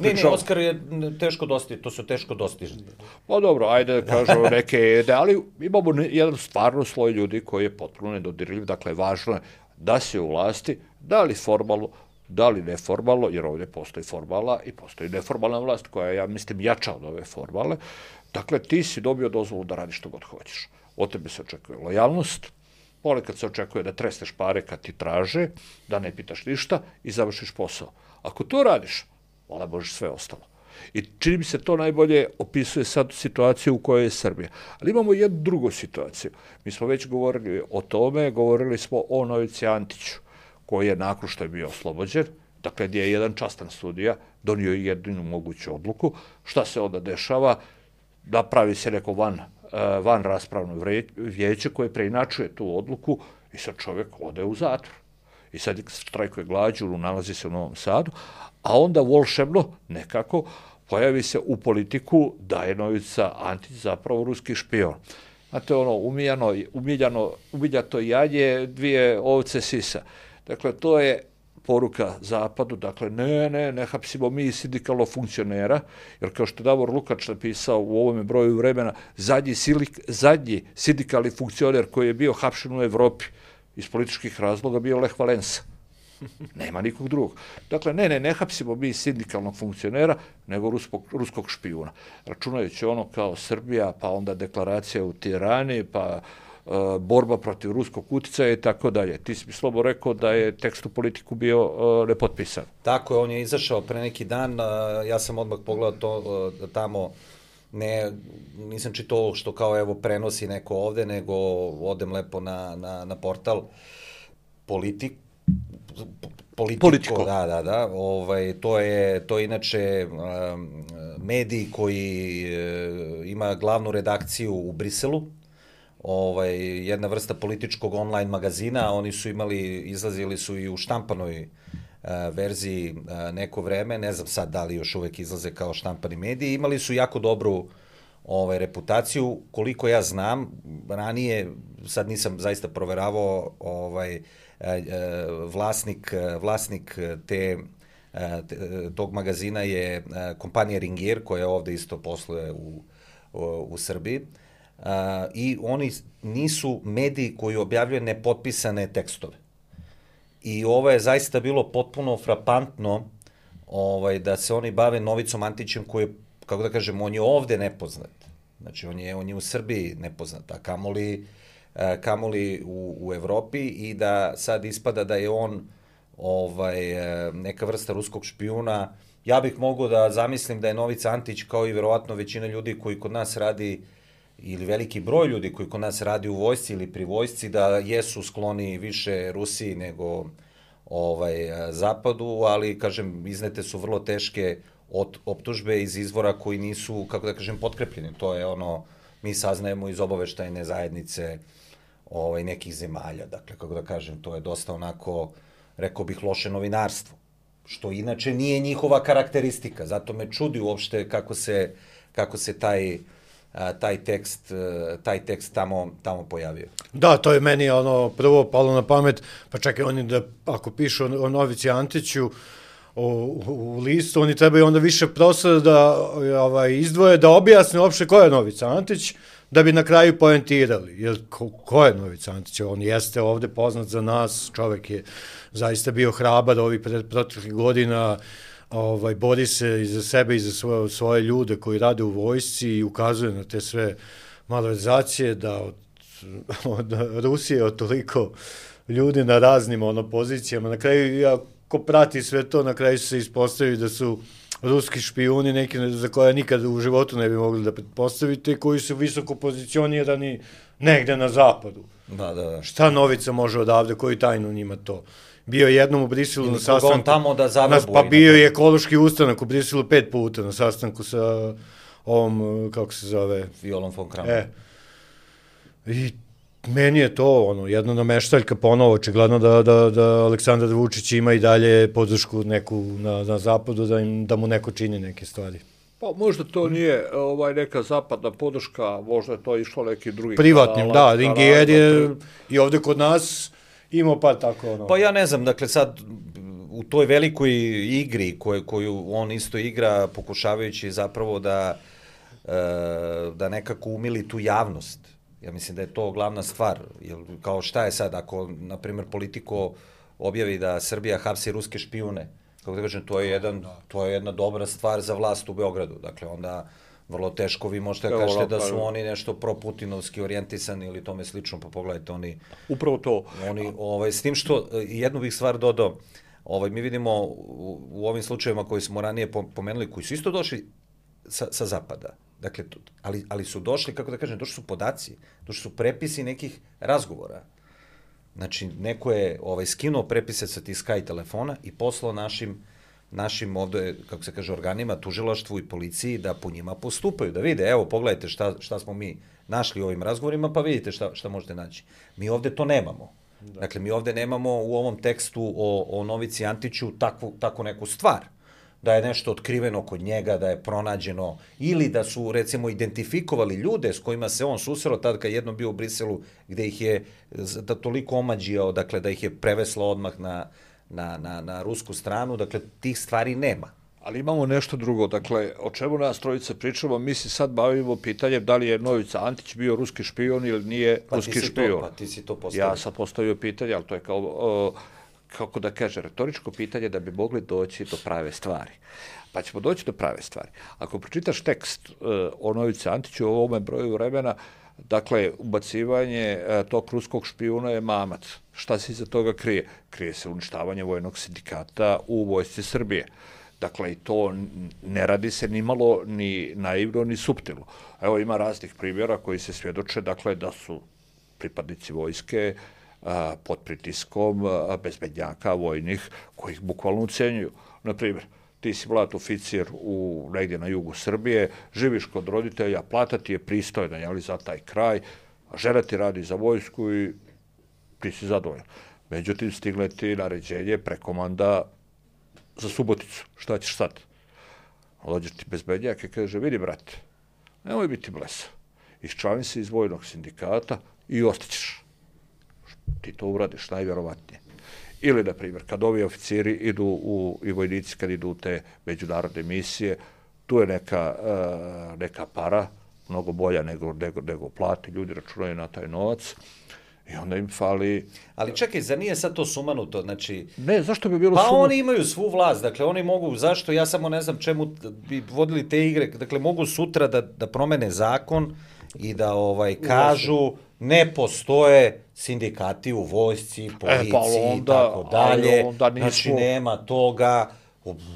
Ne, ne, Oskar je teško dostižni, to su teško dostižni. Pa dobro, ajde da kažemo neke, ali imamo jedan stvarno sloj ljudi koji je potpuno nedodirljiv, dakle, važno je da se u vlasti, da li formalno, da li neformalno, jer ovdje postoji formalna i postoji neformalna vlast koja je, ja mislim, jača od ove formalne. Dakle, ti si dobio dozvolu da radiš što god hoćeš. Od tebe se očekuje lojalnost, ponekad se očekuje da tresneš pare kad ti traže, da ne pitaš ništa i završiš posao. Ako to radiš, vola Bože, sve ostalo. I čini mi se to najbolje opisuje sad situaciju u kojoj je Srbija. Ali imamo jednu drugu situaciju. Mi smo već govorili o tome, govorili smo o Novici Antiću, koji je nakon što je bio oslobođen, dakle gdje je jedan častan sudija donio jedinu moguću odluku. Šta se onda dešava? Da pravi se neko van, van raspravno vijeće koje preinačuje tu odluku i sad čovjek ode u zatvor. I sad štrajkuje glađu, nalazi se u Novom Sadu, a onda volšebno nekako pojavi se u politiku da je Novica Antić zapravo ruski špion. Znate, ono, umiljano, umiljano, umiljato janje, dvije ovce sisa. Dakle, to je poruka Zapadu, dakle, ne, ne, ne hapsimo mi sindikalnog funkcionera, jer kao što je Davor Lukač napisao u ovome broju vremena, zadnji, silik, zadnji sindikalni funkcioner koji je bio hapšen u Evropi iz političkih razloga bio Lech Valensa. Nema nikog drugog. Dakle, ne, ne, ne hapsimo mi sindikalnog funkcionera, nego ruskog, ruskog špijuna. Računajući ono kao Srbija, pa onda deklaracija u Tirani, pa uh, borba protiv ruskog uticaja i tako dalje. Ti si mi slobodno rekao da je tekst u Politiku bio uh, nepotpisan. Tako je, on je izašao pre neki dan, uh, ja sam odmah pogledao to uh, tamo, ne, nisam čitao što kao evo prenosi neko ovde, nego odem lepo na, na, na portal Politik, Politiko, Politiko. Da, da, da. Ovaj, to je, to je inače um, medij koji uh, ima glavnu redakciju u Briselu, ovaj, jedna vrsta političkog online magazina, oni su imali, izlazili su i u štampanoj uh, verziji uh, neko vreme, ne znam sad da li još uvek izlaze kao štampani mediji, imali su jako dobru ovaj, reputaciju, koliko ja znam, ranije, sad nisam zaista proveravao, ovaj, vlasnik, vlasnik te, tog magazina je kompanija Ringier, koja ovde isto posluje u, u, u Srbiji. I oni nisu mediji koji objavljaju nepotpisane tekstove. I ovo je zaista bilo potpuno frapantno ovaj, da se oni bave Novicom Antićem koji je, kako da kažem, on je ovde nepoznat. Znači, on je, on je u Srbiji nepoznat, a kamoli kamoli u, u Evropi i da sad ispada da je on ovaj, neka vrsta ruskog špijuna. Ja bih mogao da zamislim da je Novica Antić, kao i verovatno većina ljudi koji kod nas radi, ili veliki broj ljudi koji kod nas radi u vojsci ili pri vojsci, da jesu skloni više Rusiji nego ovaj, Zapadu, ali, kažem, iznete su vrlo teške optužbe iz izvora koji nisu, kako da kažem, potkrepljeni. To je ono, mi saznajemo iz obaveštajne zajednice ovaj, nekih zemalja. Dakle, kako da kažem, to je dosta onako, rekao bih, loše novinarstvo, što inače nije njihova karakteristika. Zato me čudi uopšte kako se, kako se taj, taj tekst, taj tekst tamo, tamo pojavio. Da, to je meni ono prvo palo na pamet, pa čekaj, oni da, ako pišu o Novici Antiću u, u listu, oni trebaju onda više prostora da ovaj, izdvoje, da objasne uopšte ko je Novica Antić, da bi na kraju poentirali. Jer ko, ko je Novica Antić? On jeste ovde poznat za nas, čovek je zaista bio hrabar ovih proteklih godina, ovaj, bori se i za sebe i za svoje, svoje ljude koji rade u vojsci i ukazuje na te sve malverzacije, da od, od Rusije od toliko ljudi na raznim ono, pozicijama. Na kraju, ja, ko prati sve to, na kraju se ispostavi da su ruski špijuni, neki za koje nikad u životu ne bi mogli da pretpostavite, koji su visoko pozicionirani negde na zapadu. Da, da, da. Šta Novica može odavde, koji tajnu njima to? Bio je jednom u Briselu na sastanku. Tamo da zavrbu, pa bio je ekološki ustanak u Briselu pet puta na sastanku sa ovom, kako se zove? Violom von Kramon. E. I meni je to ono, jedna nameštaljka ponovo, očigledno da, da, da Aleksandar Vučić ima i dalje podršku neku na, na zapadu, da, im, da mu neko čini neke stvari. Pa možda to nije ovaj, neka zapadna podrška, možda je to išlo neki drugi privatnim, kanala, da, Ringier je i ovde kod nas imao pa tako ono. Pa ja ne znam, dakle sad u toj velikoj igri koju, koju on isto igra, pokušavajući zapravo da, da nekako umili tu javnost. Ja mislim da je to glavna stvar. Jer kao šta je sad, ako, na primjer, Politico objavi da Srbija hapsi ruske špijune, kako da kažem, to je, jedan, to je jedna dobra stvar za vlast u Beogradu. Dakle, onda vrlo teško vi možete da kažete da su oni nešto pro-putinovski orijentisani ili tome slično, pa pogledajte, oni... Upravo to. Oni, ovaj, s tim što, jednu bih stvar dodao, ovaj, mi vidimo u, u ovim slučajevima koji smo ranije pomenuli, koji su isto došli sa, sa zapada, dakle, ali, ali su došli, kako da kažem, došli su podaci, došli su prepisi nekih razgovora. Znači, neko je ovaj, skinuo prepise sa tih Sky telefona i poslao našim, našim ovde, kako se kaže, organima, tužilaštvu i policiji da po njima postupaju, da vide, evo, pogledajte šta, šta smo mi našli u ovim razgovorima, pa vidite šta, šta možete naći. Mi ovde to nemamo. Da. Dakle, mi ovde nemamo u ovom tekstu o, o Novici Antiću takvu, takvu neku stvar, da je nešto otkriveno kod njega, da je pronađeno, ili da su, recimo, identifikovali ljude s kojima se on susreo tad kad jednom bio u Briselu, gde ih je da toliko omađijao, dakle, da ih je preveslo odmah na, na, na, na rusku stranu, dakle, tih stvari nema. Ali imamo nešto drugo, dakle, o čemu nas trojica pričamo, mi se sad bavimo pitanjem da li je Novica Antić bio ruski špion ili nije pa ruski špion. Pa ti si to postavio. Ja sam postavio pitanje, ali to je kao... O, kako da kaže, retoričko pitanje da bi mogli doći do prave stvari. Pa ćemo doći do prave stvari. Ako pročitaš tekst uh, o Novici Antiću u ovome broju vremena, dakle, ubacivanje uh, tog ruskog špijuna je mamac. Šta se iza toga krije? Krije se uništavanje vojnog sindikata u vojsci Srbije. Dakle, i to ne radi se ni malo, ni naivno, ni suptilno. Evo, ima raznih primjera koji se svjedoče, dakle, da su pripadnici vojske pod pritiskom bezbednjaka vojnih koji ih bukvalno ucenjuju. Naprimjer, ti si mlad oficir u, negdje na jugu Srbije, živiš kod roditelja, plata ti je pristojna, jeli, za taj kraj, žena ti radi za vojsku i ti si zadovoljan. Međutim, stigle ti naređenje, prekomanda za Suboticu. Šta ćeš sad? Dođeš ti bezbednjak i kaže, vidi, brate, nemoj biti blesa. Iščlani se iz vojnog sindikata i ostaćeš. Ti to uradiš, najvjerovatnije. Ili, na primjer, kad ovi oficiri idu u, i vojnici kad idu u te međunarodne misije, tu je neka, uh, neka para, mnogo bolja nego, nego, nego plati, ljudi računaju na taj novac I onda im fali... Ali čekaj, zar nije sad to sumanuto? Znači... Ne, zašto bi bilo pa sumanuto? Pa oni imaju svu vlast, dakle oni mogu, zašto, ja samo ne znam čemu bi vodili te igre, dakle mogu sutra da, da promene zakon i da ovaj kažu ne postoje sindikati u vojsci, policiji, e, pa onda, i tako dalje, onda nismo... znači nema toga,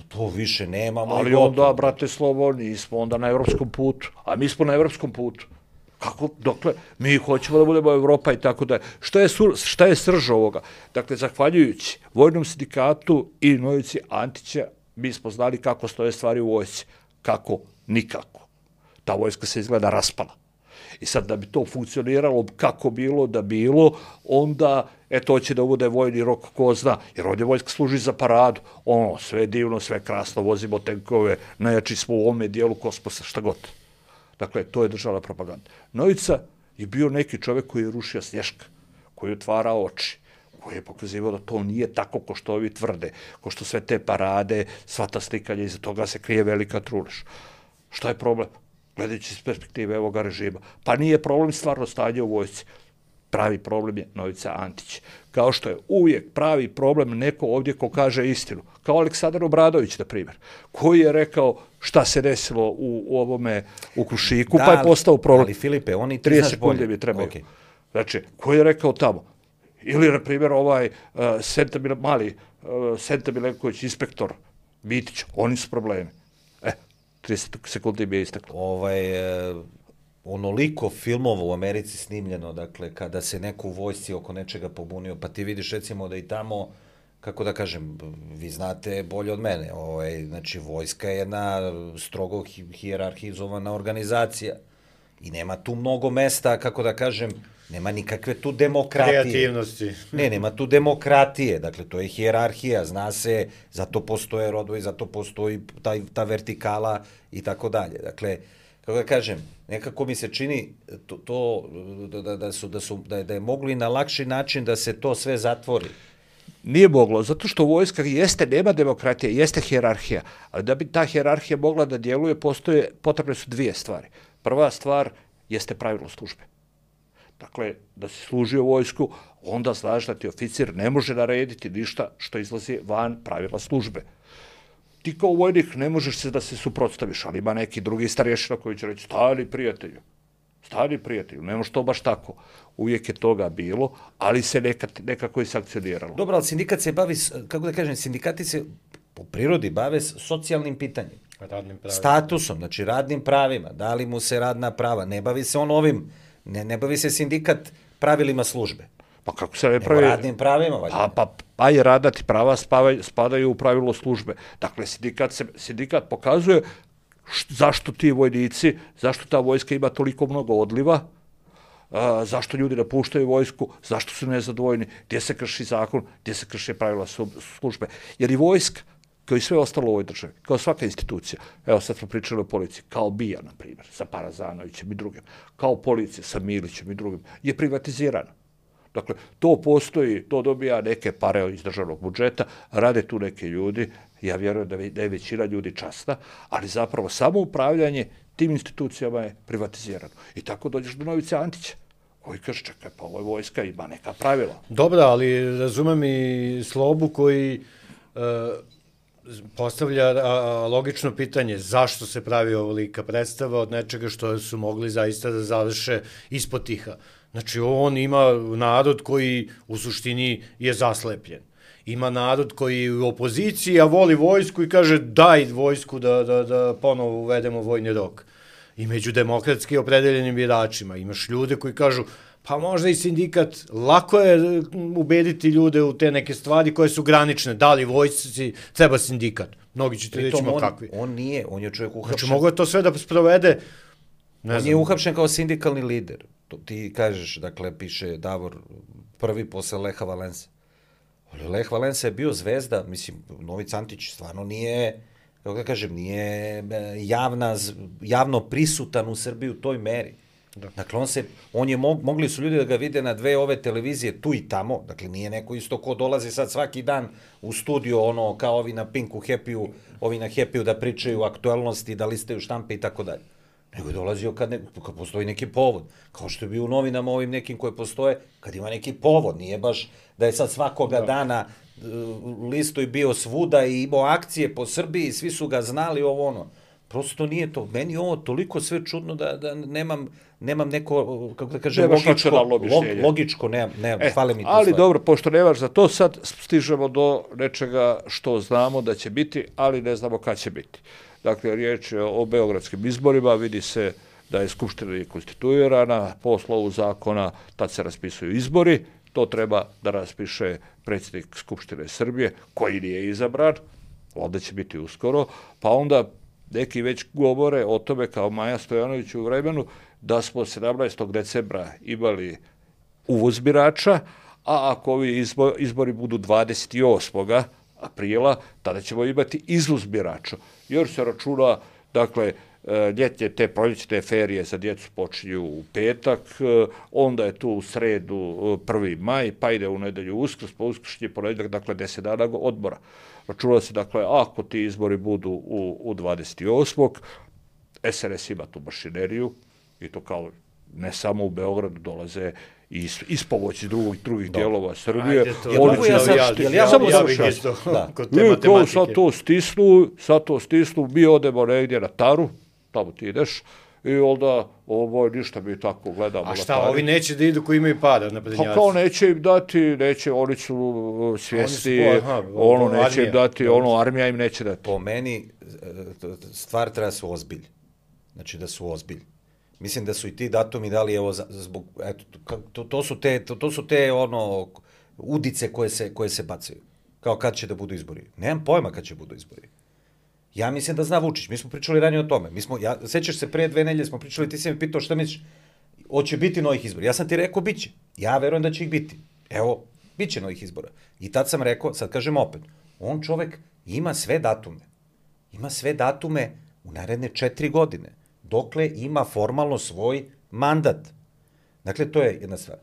to više nemamo. Ali onda, brate Slovo, nismo onda na evropskom putu, a mi smo na evropskom putu. Kako, dokle, mi hoćemo da budemo Evropa i tako da. Šta je, šta je srž ovoga? Dakle, zahvaljujući Vojnom sindikatu i Novici Antića, mi smo znali kako stoje stvari u vojsci. Kako? Nikako. Ta vojska se izgleda raspala. I sad da bi to funkcioniralo kako bilo da bilo, onda, eto, hoće da bude vojni rok, ko zna, jer ovdje vojska služi za paradu. Ono, sve divno, sve krasno, vozimo tenkove, najjači smo u ovome dijelu kosmosa, šta god. Dakle, to je državna propaganda. Novica je bio neki čovjek koji je rušio Snješka, koji je otvarao oči, koji je pokazivao da to nije tako ko što ovi tvrde, ko što sve te parade, sva ta slikanja, iza toga se krije velika trulež. Šta je problem? Gledajući iz perspektive ovoga režima. Pa nije problem stvarno stanje u vojsci. Pravi problem je Novica Antić. Kao što je uvijek pravi problem neko ovdje ko kaže istinu. Kao Aleksandar Obradović, na primjer, koji je rekao šta se desilo u, u ovome, u Krušiku, da, pa je postao problem. Ali Filipe, oni ti trideset sekunde mi trebaju. Okay. Znači, koji je rekao tamo? Ili, na primjer, ovaj uh, Senta Mile, mali uh, Senta Milenković, inspektor Bitić, oni su problemi. E, trideset sekundi mi je isteklo. Ovaj... Uh... onoliko filmova u Americi snimljeno, dakle, kada se neko u vojsci oko nečega pobunio, pa ti vidiš recimo da i tamo, kako da kažem, vi znate bolje od mene, ovaj, znači vojska je jedna strogo hijerarhizovana organizacija i nema tu mnogo mesta, kako da kažem, nema nikakve tu demokratije. Kreativnosti. Ne, nema tu demokratije, dakle, to je hijerarhija, zna se, zato postoje rodovi, zato postoji taj, ta vertikala i tako dalje. Dakle, kako da kažem, nekako mi se čini to, to da, da, su, da, su, da, je, da je moglo i na lakši način da se to sve zatvori. Nije moglo, zato što vojska jeste, nema demokratije, jeste hijerarhija, ali da bi ta hijerarhija mogla da djeluje, postoje, potrebne su dvije stvari. Prva stvar jeste pravilo službe. Dakle, da si služio vojsku, onda znaš da ti oficir ne može narediti ništa što izlazi van pravila službe. Ti kao vojnik ne možeš se da se suprotstaviš, ali ima neki drugi starješina koji će reći stari prijatelju, stari prijatelju, ne može to baš tako. Uvijek je toga bilo, ali se nekad, nekako i sankcioniralo. Dobro, ali sindikat se bavi, kako da kažem, sindikati se po prirodi bave socijalnim pitanjem. Radnim pravima. Statusom, znači radnim pravima, da li mu se radna prava, ne bavi se on ovim, ne, ne bavi se sindikat pravilima službe. Pa kako se ne pravi? Radnim pravima, valjda. Pa, pa, pa i radati prava spavaju, spadaju u pravilo službe. Dakle, sindikat, se, sindikat pokazuje š, zašto ti vojnici, zašto ta vojska ima toliko mnogo odliva, a, zašto ljudi napuštaju vojsku, zašto su nezadovoljni, gdje se krši zakon, gdje se krši pravila službe. Jer i vojska, kao i sve ostalo u ovoj državi, kao svaka institucija, evo sad smo pričali o policiji, kao BIA, na primjer, sa Parazanovićem i drugim, kao policija sa Milićem i drugim, je privatizirana. Dakle, to postoji, to dobija neke pare iz državnog budžeta, rade tu neke ljudi, ja vjerujem da, da je većina ljudi časna, ali zapravo samo upravljanje tim institucijama je privatizirano. I tako dođeš do Novice Antića, koji kaže, čekaj, pa ovo vojska ima neka pravila. Dobro, ali razumem i Slobu koji e, postavlja a, logično pitanje zašto se pravi ovolika predstava od nečega što su mogli zaista da završe ispod tiha. Znači, on ima narod koji u suštini je zaslepljen. Ima narod koji je u opoziciji, a voli vojsku i kaže daj vojsku da, da, da ponovo uvedemo vojni rok. I među demokratski opredeljenim biračima imaš ljude koji kažu pa možda i sindikat, lako je ubediti ljude u te neke stvari koje su granične. Da li vojsci treba sindikat? Mnogi će ti reći, ma kakvi. On nije, on je čovjek uhapšen. Znači, mogu je to sve da sprovede. Ne on znam. Je uhapšen kao sindikalni lider. To ti kažeš, dakle, piše Davor prvi posle Leha Valense. Ali Leh Valense je bio zvezda, mislim, Novica Antić stvarno nije, kako da kažem, nije javna, javno prisutan u Srbiji u toj meri. Da. Dakle, on se, on je, mog, mogli su ljudi da ga vide na dve ove televizije tu i tamo, dakle, nije neko isto ko dolazi sad svaki dan u studio, ono, kao ovi na Pinku, Happy-u, ovi na Happy-u da pričaju aktualnosti, da listaju štampe i tako dalje. nego je dolazio kad, ne, kad postoji neki povod. Kao što je bio u novinama ovim nekim koje postoje, kad ima neki povod, nije baš da je sad svakoga da. dana uh, listo i bio svuda i imao akcije po Srbiji, svi su ga znali ovo ono. Prosto nije to. Meni je ovo toliko sve čudno da, da nemam, nemam neko, kako da kažem, nemaš logičko, log, logičko, ne, ne, e, fale mi to ali stvari. dobro, pošto nemaš za to, sad stižemo do nečega što znamo da će biti, ali ne znamo kad će biti. Dakle, riječ je o beogradskim izborima, vidi se da je Skupština konstituirana, po slovu zakona tad se raspisuju izbori, to treba da raspiše predsjednik Skupštine Srbije, koji nije izabran, ovdje će biti uskoro, pa onda neki već govore o tome kao Maja Stojanović u vremenu da smo sedamnaestog decembra imali uvoz birača, a ako ovi izbori budu dvadeset osmog aprila, tada ćemo imati izvoz birača. Jer se računa, dakle, ljetnje te proljećne ferije za djecu počinju u petak, onda je tu u sredu prvi maj, pa ide u nedelju Uskrs, pa uskršnji ponedjeljak, dakle deset dana odmora. Računa se, dakle, ako ti izbori budu u, u dvadeset osmog S R S ima tu mašineriju i to kao ne samo u Beogradu dolaze iz, iz pomoći drugih, drugih dijelova Srbije. Ajde, to, Oni ja sam, ja, ja, samo ja, da bih isto kod te I, matematike. Sad to stisnu, sad to stisnu, mi odemo negdje na Taru, tamo ti ideš, i onda ovo ništa mi tako gledamo. A šta, ovi neće da idu koji imaju para na prednjaci? Pa kao neće im dati, neće, oni su svjesni, oni su, aha, ono neće armija. im dati, ono armija im neće dati. Po meni stvar treba su ozbilj. Znači da su ozbilj. Mislim da su i ti datumi dali, evo, zbog, eto, to, to su te, to, to su te, ono, udice koje se, koje se bacaju. Kao kad će da budu izbori. Nemam pojma kad će budu izbori. Ja mislim da zna Vučić, mi smo pričali ranije o tome. Mi smo, ja, sećaš se, pre dve nelje smo pričali, ti si mi pitao šta misliš, hoće biti novih izbora. Ja sam ti rekao, bit će. Ja verujem da će ih biti. Evo, bit će novih izbora. I tad sam rekao, sad kažem opet, on čovek ima sve datume. Ima sve datume u naredne četiri godine. Dokle ima formalno svoj mandat. Dakle, to je jedna stvar.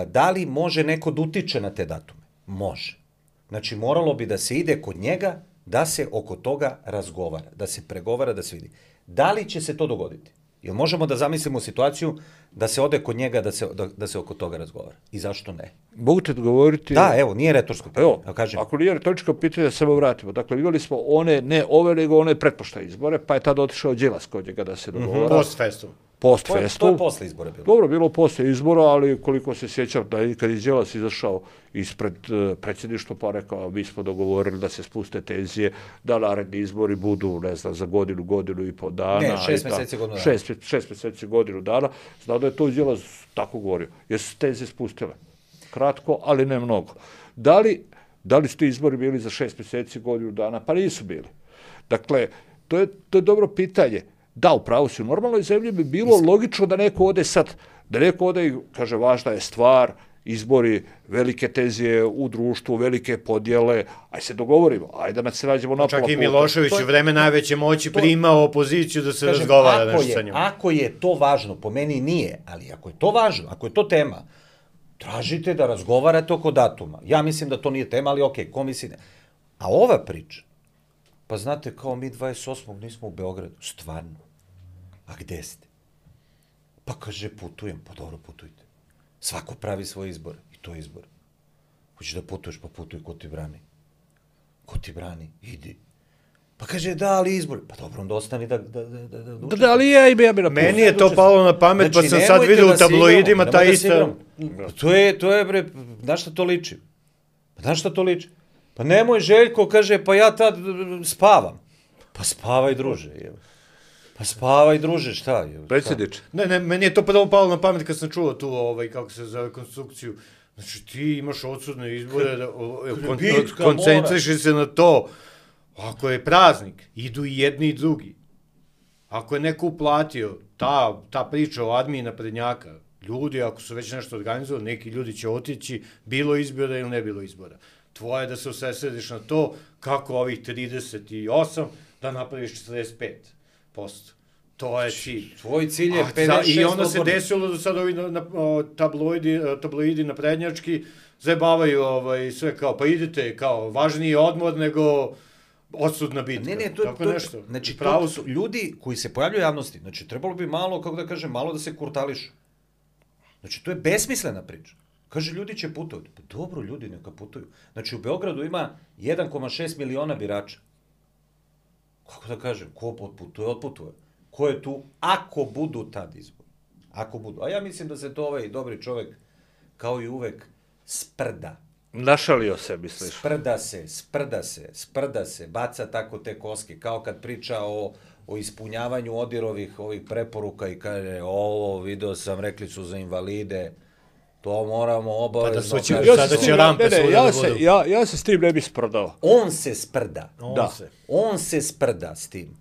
Da li može neko da utiče na te datume? Može. Znači, moralo bi da se ide kod njega, da se oko toga razgovara, da se pregovara, da se vidi. Da li će se to dogoditi? Jel možemo da zamislimo situaciju da se ode kod njega, da se, da, da se oko toga razgovara? I zašto ne? Mogu te odgovoriti... Da, evo, nije retorsko pitanje. Evo, kažem. Ako nije retoričko pitanje, da se samo vratimo. Dakle, imali smo one, ne ove, nego one pretpoštaje izbore, pa je tada otišao Đilas kod njega da se dogovara. Mm-hmm. Post festum. Post festum. To je posle izbora bilo. Dobro, bilo posle izbora, ali koliko se sjećam, da je kad je Đilas izašao ispred uh, predsjedništva, pa rekao, mi smo dogovorili da se spuste tenzije, da naredni izbori budu, ne znam, za godinu, godinu i po dana. Ne, šest mjeseci, godinu dana. Šest, šest mjeseci, godinu dana. Znao da je to Đilas tako govorio. Jer su tenzije spustile. Kratko, ali ne mnogo. Da li, da li su ti izbori bili za šest mjeseci, godinu dana? Pa nisu bili. Dakle, to je, to je dobro pitanje. Da, upravo si, u normalnoj zemlji bi bilo logično da neko ode sad, da neko ode i kaže, važna je stvar, izbori, velike tenzije u društvu, velike podjele, aj se dogovorimo, ajde da se nađemo na pola puta. Čak i Milošević u vreme najveće moći to, primao opoziciju da se kažem, razgovara nešto sa njom. Ako je to važno, po meni nije, ali ako je to važno, ako je to tema, tražite da razgovarate oko datuma. Ja mislim da to nije tema, ali okej, okay, ko misli ne. A ova priča, pa znate, kao mi dvadeset osmog nismo u Beogradu, stvarno. A gde ste? Pa kaže, putujem. Pa dobro, putujte. Svako pravi svoj izbor. I to je izbor. Hoćeš da putuješ, pa putuj, ko ti brani? Ko ti brani? Idi. Pa kaže, da, ali izbor. Pa dobro, onda ostani da... Da, da, da, da, da ali ja i ja bi na Meni je to palo na pamet, znači, pa sam sad vidio u tabloidima ta ista... To je, to je, bre, znaš šta to liči? Pa znaš šta to liči? Pa nemoj, Željko, kaže, pa ja tad spavam. Pa spavaj, druže, evo. Pa spavaj, druže, šta je? Predsjedniče. Ne, ne, meni je to prvo palo na pamet kad sam čuo tu, ovaj, kako se zove, konstrukciju. Znači, ti imaš odsudne izbore, da, kon, koncentriši se na to. Ako je praznik, idu i jedni i drugi. Ako je neko uplatio, ta, ta priča o admiji naprednjaka, ljudi, ako su već nešto organizovali, neki ljudi će otići, bilo izbora ili ne bilo izbora. Tvoje je da se usredsrediš na to kako ovih trideset osam da napraviš četrdeset pet posto. To je cilj. Tvoj cilj je pedeset šest. I onda se desilo da sad ovi na, na, tabloidi, tabloidi naprednjački zajebavaju ovaj, sve kao, pa idete, kao, važniji odmor nego odsudna bitka. Ne, ne, to, tako to, nešto. znači, Pravo to, to, ljudi koji se pojavljaju u javnosti, znači, trebalo bi malo, kako da kažem, malo da se kurtališu. Znači, to je besmislena priča. Kaže, ljudi će putovati. Pa dobro, ljudi neka putuju. Znači, u Beogradu ima jedan zarez šest miliona birača. Kako da kažem, ko otputuje, otputuje. Ko je tu, ako budu tad izbori. Ako budu. A ja mislim da se to ovaj dobri čovek, kao i uvek, sprda. Našalio se, misliš? Sprda se, sprda se, sprda se, baca tako te koske, kao kad priča o, o ispunjavanju Odirovih ovih preporuka i kaže, ovo, video sam, rekli su za invalide, to moramo obavezno... Pa da sada će rampe ne, ne, svuda ja da se, budu. ja, ja se s tim ne bi sprdao. On se sprda. On Da. se. On se sprda s tim.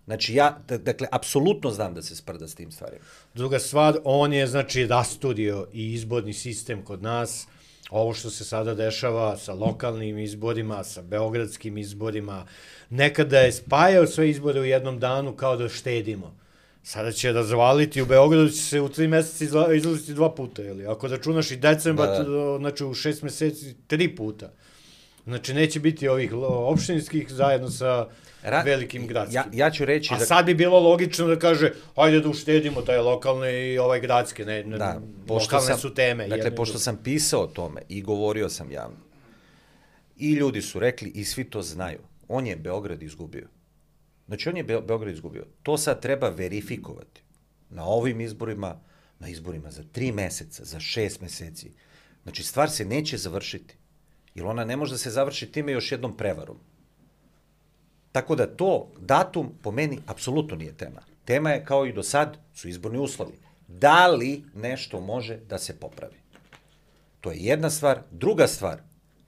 Znači, ja, dakle, apsolutno znam da se sprda s tim stvarima. Druga stvar, on je, znači, rasturio i izborni sistem kod nas, ovo što se sada dešava sa lokalnim izborima, sa beogradskim izborima, nekada je spajao sve izbore u jednom danu kao da štedimo. Sada će razvaliti, u Beogradu će se u tri meseca izla, izlaziti dva puta, ili? Ako računaš i decembar, Da, da. znači u šest meseci tri puta. Znači neće biti ovih opštinskih zajedno sa Ra- velikim gradskim. Ja, ja ću reći A da... sad bi bilo logično da kaže, hajde da uštedimo taj lokalne i ovaj gradske, ne, ne Da, pošto lokalne sam, su teme. Dakle, jedne pošto druge. sam pisao o tome i govorio sam javno, i ljudi su rekli i svi to znaju, on je Beograd izgubio. Znači, on je Be- Beograd izgubio. To sad treba verifikovati. Na ovim izborima, na izborima za tri meseca, za šest meseci. Znači, stvar se neće završiti. Jer ona ne može da se završi time još jednom prevarom. Tako da to, datum, po meni, apsolutno nije tema. Tema je, kao i do sad, su izborni uslovi. Da li nešto može da se popravi? To je jedna stvar. Druga stvar,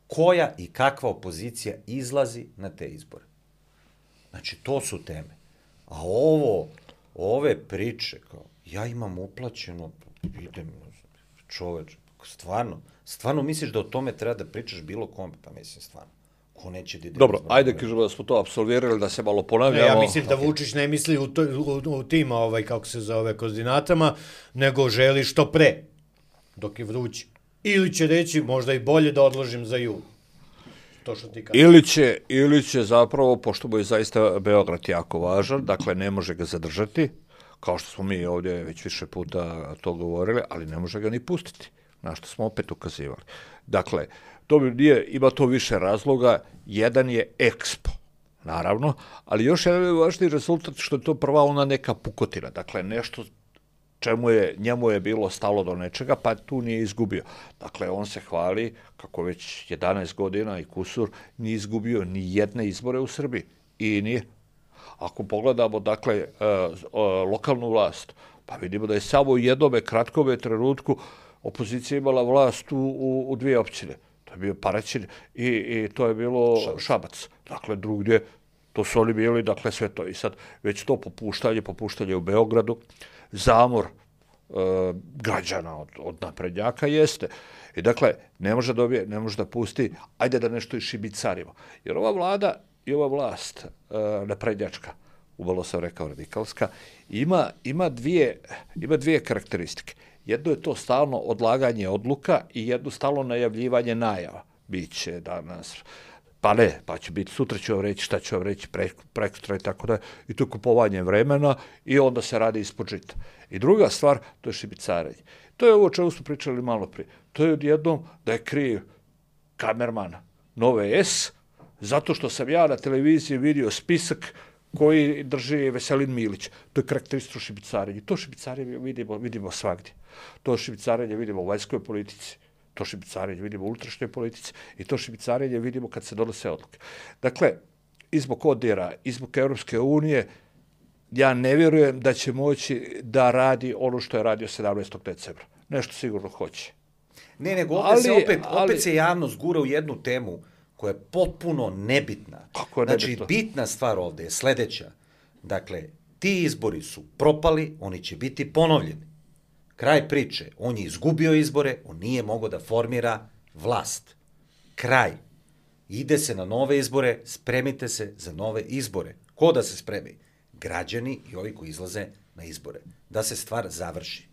koja i kakva opozicija izlazi na te izbore. Znači, to su teme. A ovo, ove priče, kao, ja imam uplaćeno, idem, čoveč, stvarno, stvarno misliš da o tome treba da pričaš bilo kome? Pa mislim, stvarno. Ko neće da ide... Dobro, izbore? ajde kažemo da smo to apsolvirali, da se malo Ne, ponavljamo. ja mislim da Vučić ne misli u, to, u, u tim, ovaj, kako se zove, koordinatama, nego želi što pre, dok je vruće. Ili će reći, možda i bolje da odložim za jul. To što ti kažeš. Ili će, ili će zapravo, pošto mu je zaista Beograd jako važan, dakle ne može ga zadržati, kao što smo mi ovdje već više puta to govorili, ali ne može ga ni pustiti, na što smo opet ukazivali. Dakle, to bi nije, ima to više razloga, jedan je Expo, naravno, ali još jedan je važniji rezultat što je to prva ona neka pukotina, dakle nešto čemu je, njemu je bilo stalo do nečega, pa tu nije izgubio. Dakle, on se hvali kako već jedanaest godina i kusur nije izgubio ni jedne izbore u Srbiji. I nije. Ako pogledamo, dakle, e, e, lokalnu vlast, pa vidimo da je samo u jednome kratkome trenutku opozicija imala vlast u, u, u dvije općine. To je bio Paraćin i, i to je bilo Šabac. Šabac. Dakle, drugdje, to su oni bili, dakle, sve to. I sad, već to popuštanje, popuštanje u Beogradu, zamor e, građana od, od naprednjaka jeste. I dakle, ne može dobije, ne može da pusti, ajde da nešto i šibicarimo. Jer ova vlada i ova vlast e, naprednjačka, ubalo sam rekao radikalska, ima, ima, dvije, ima dvije karakteristike. Jedno je to stalno odlaganje odluka i jedno stalno najavljivanje najava. Biće danas, pa ne, pa će biti, sutra ću vam reći šta ću vam reći, pre, prekosutra i tako da, i to je kupovanje vremena i onda se radi ispod žita. I druga stvar, to je šibicarenje. To je ovo o čemu smo pričali malo prije. To je odjednom da je kriv kamerman Nove S, zato što sam ja na televiziji vidio spisak koji drži Veselin Milić. To je karakteristično šibicarenje. To šibicarenje vidimo, vidimo svagdje. To šibicarenje vidimo u vanjskoj politici. To šibicarenje vidimo u unutrašnjoj politici i to šibicarenje vidimo kad se donose odluke. Dakle, i zbog odira, i zbog Europske unije, ja ne vjerujem da će moći da radi ono što je radio sedamnaestog decembra. Nešto sigurno hoće. Ne, nego opet, Ali, se, opet, ali, opet se javnost gura u jednu temu koja je potpuno nebitna. Kako je znači, nebitno? bitna stvar ovde je sledeća. Dakle, ti izbori su propali, oni će biti ponovljeni. Kraj priče. On je izgubio izbore, on nije mogao da formira vlast. Kraj. Ide se na nove izbore, spremite se za nove izbore. Ko da se spremi? Građani i ovi koji izlaze na izbore. Da se stvar završi.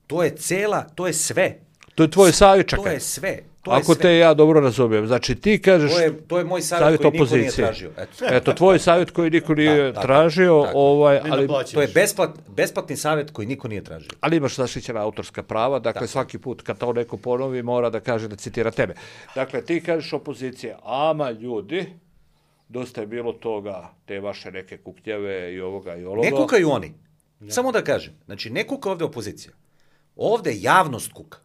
To je cela, to je sve. To je tvoj savjet, čekaj. To je sve. To Ako je sve. te ja dobro razumijem, znači ti kažeš... To je, to je moj savjet koji niko nije tražio. Eto, Eto tvoj savjet koji niko nije da, tražio, tako, ovaj, ali... To je besplat, besplatni savjet koji niko nije tražio. Ali imaš zaštićena autorska prava, dakle tako. Svaki put kad to neko ponovi mora da kaže da citira tebe. Dakle, ti kažeš opozicija, ama ljudi, dosta je bilo toga, te vaše neke kuknjave i ovoga i ovoga. Ne kukaju oni. Ja. Samo da kažem, znači ne kuka ovde opozicija. Ovde javnost kuka.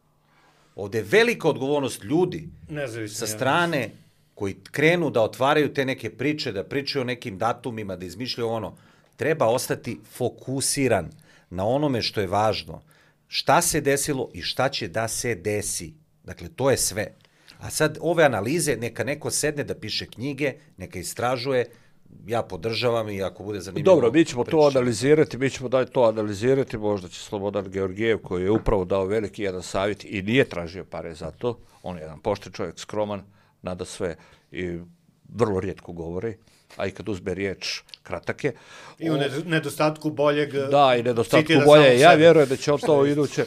Ovde je velika odgovornost ljudi Nezavisno sa strane javnost. Koji krenu da otvaraju te neke priče, da pričaju o nekim datumima, da izmišljaju ono. Treba ostati fokusiran na onome što je važno. Šta se desilo i šta će da se desi. Dakle, to je sve. A sad ove analize, neka neko sedne da piše knjige, neka istražuje, ja podržavam i ako bude zanimljivo... Dobro, mi ćemo to analizirati, mi ćemo da to analizirati, možda će Slobodan Georgijev, koji je upravo dao veliki jedan savjet i nije tražio pare za to, on je jedan pošten čovjek, skroman, nada sve i vrlo rijetko govori, a i kad uzme riječ, kratak je. I u nedostatku boljeg... Da, i nedostatku bolje. Ja vjerujem da će on to iduće...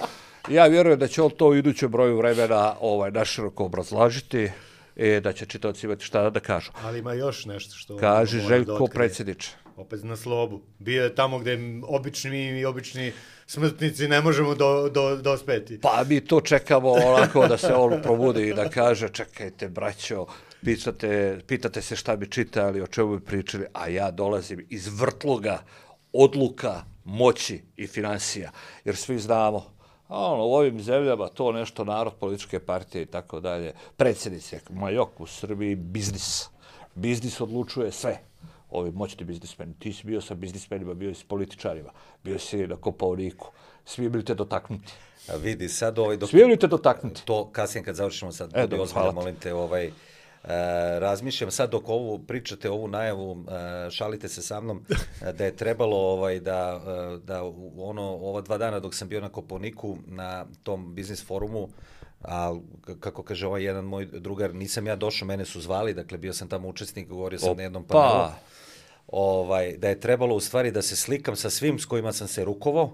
Ja vjerujem da će on to u idućem broju vremena ovaj, naširoko obrazlažiti i da će čitaoci imati šta da kažu. Ali ima još nešto što... Kaže Željko predsjedniče. Opet na slobu. Bio je tamo gde obični i obični smrtnici ne možemo do, do, dospeti. Pa mi to čekamo onako da se on probudi i da kaže čekajte braćo, pitate, pitate se šta bi čitali, o čemu bi pričali, a ja dolazim iz vrtloga odluka, moći i financija. Jer svi znamo, ono, u ovim zemljama to nešto narod, političke partije i tako dalje, predsjednici, majok u Srbiji, biznis. Biznis odlučuje sve. Ovi moćni biznismeni. Ti si bio sa biznismenima, bio si s političarima, bio si na Kopaoniku. Svi bili te dotaknuti. A vidi, sad ovaj... Dok... Svi bili te dotaknuti. To kasnije kad završimo sad, e, budi ozbiljno, molim te, ovaj... Uh, razmišljam sad dok ovu pričate ovu najavu, uh, šalite se sa mnom da je trebalo ovaj da da ono ova dva dana dok sam bio na Kopaoniku na tom biznis forumu, a kako kaže ovaj jedan moj drugar, nisam ja došao, mene su zvali, dakle bio sam tamo učesnik, govorio sam Opa. na jednom panelu, ovaj da je trebalo u stvari da se slikam sa svim s kojima sam se rukovao.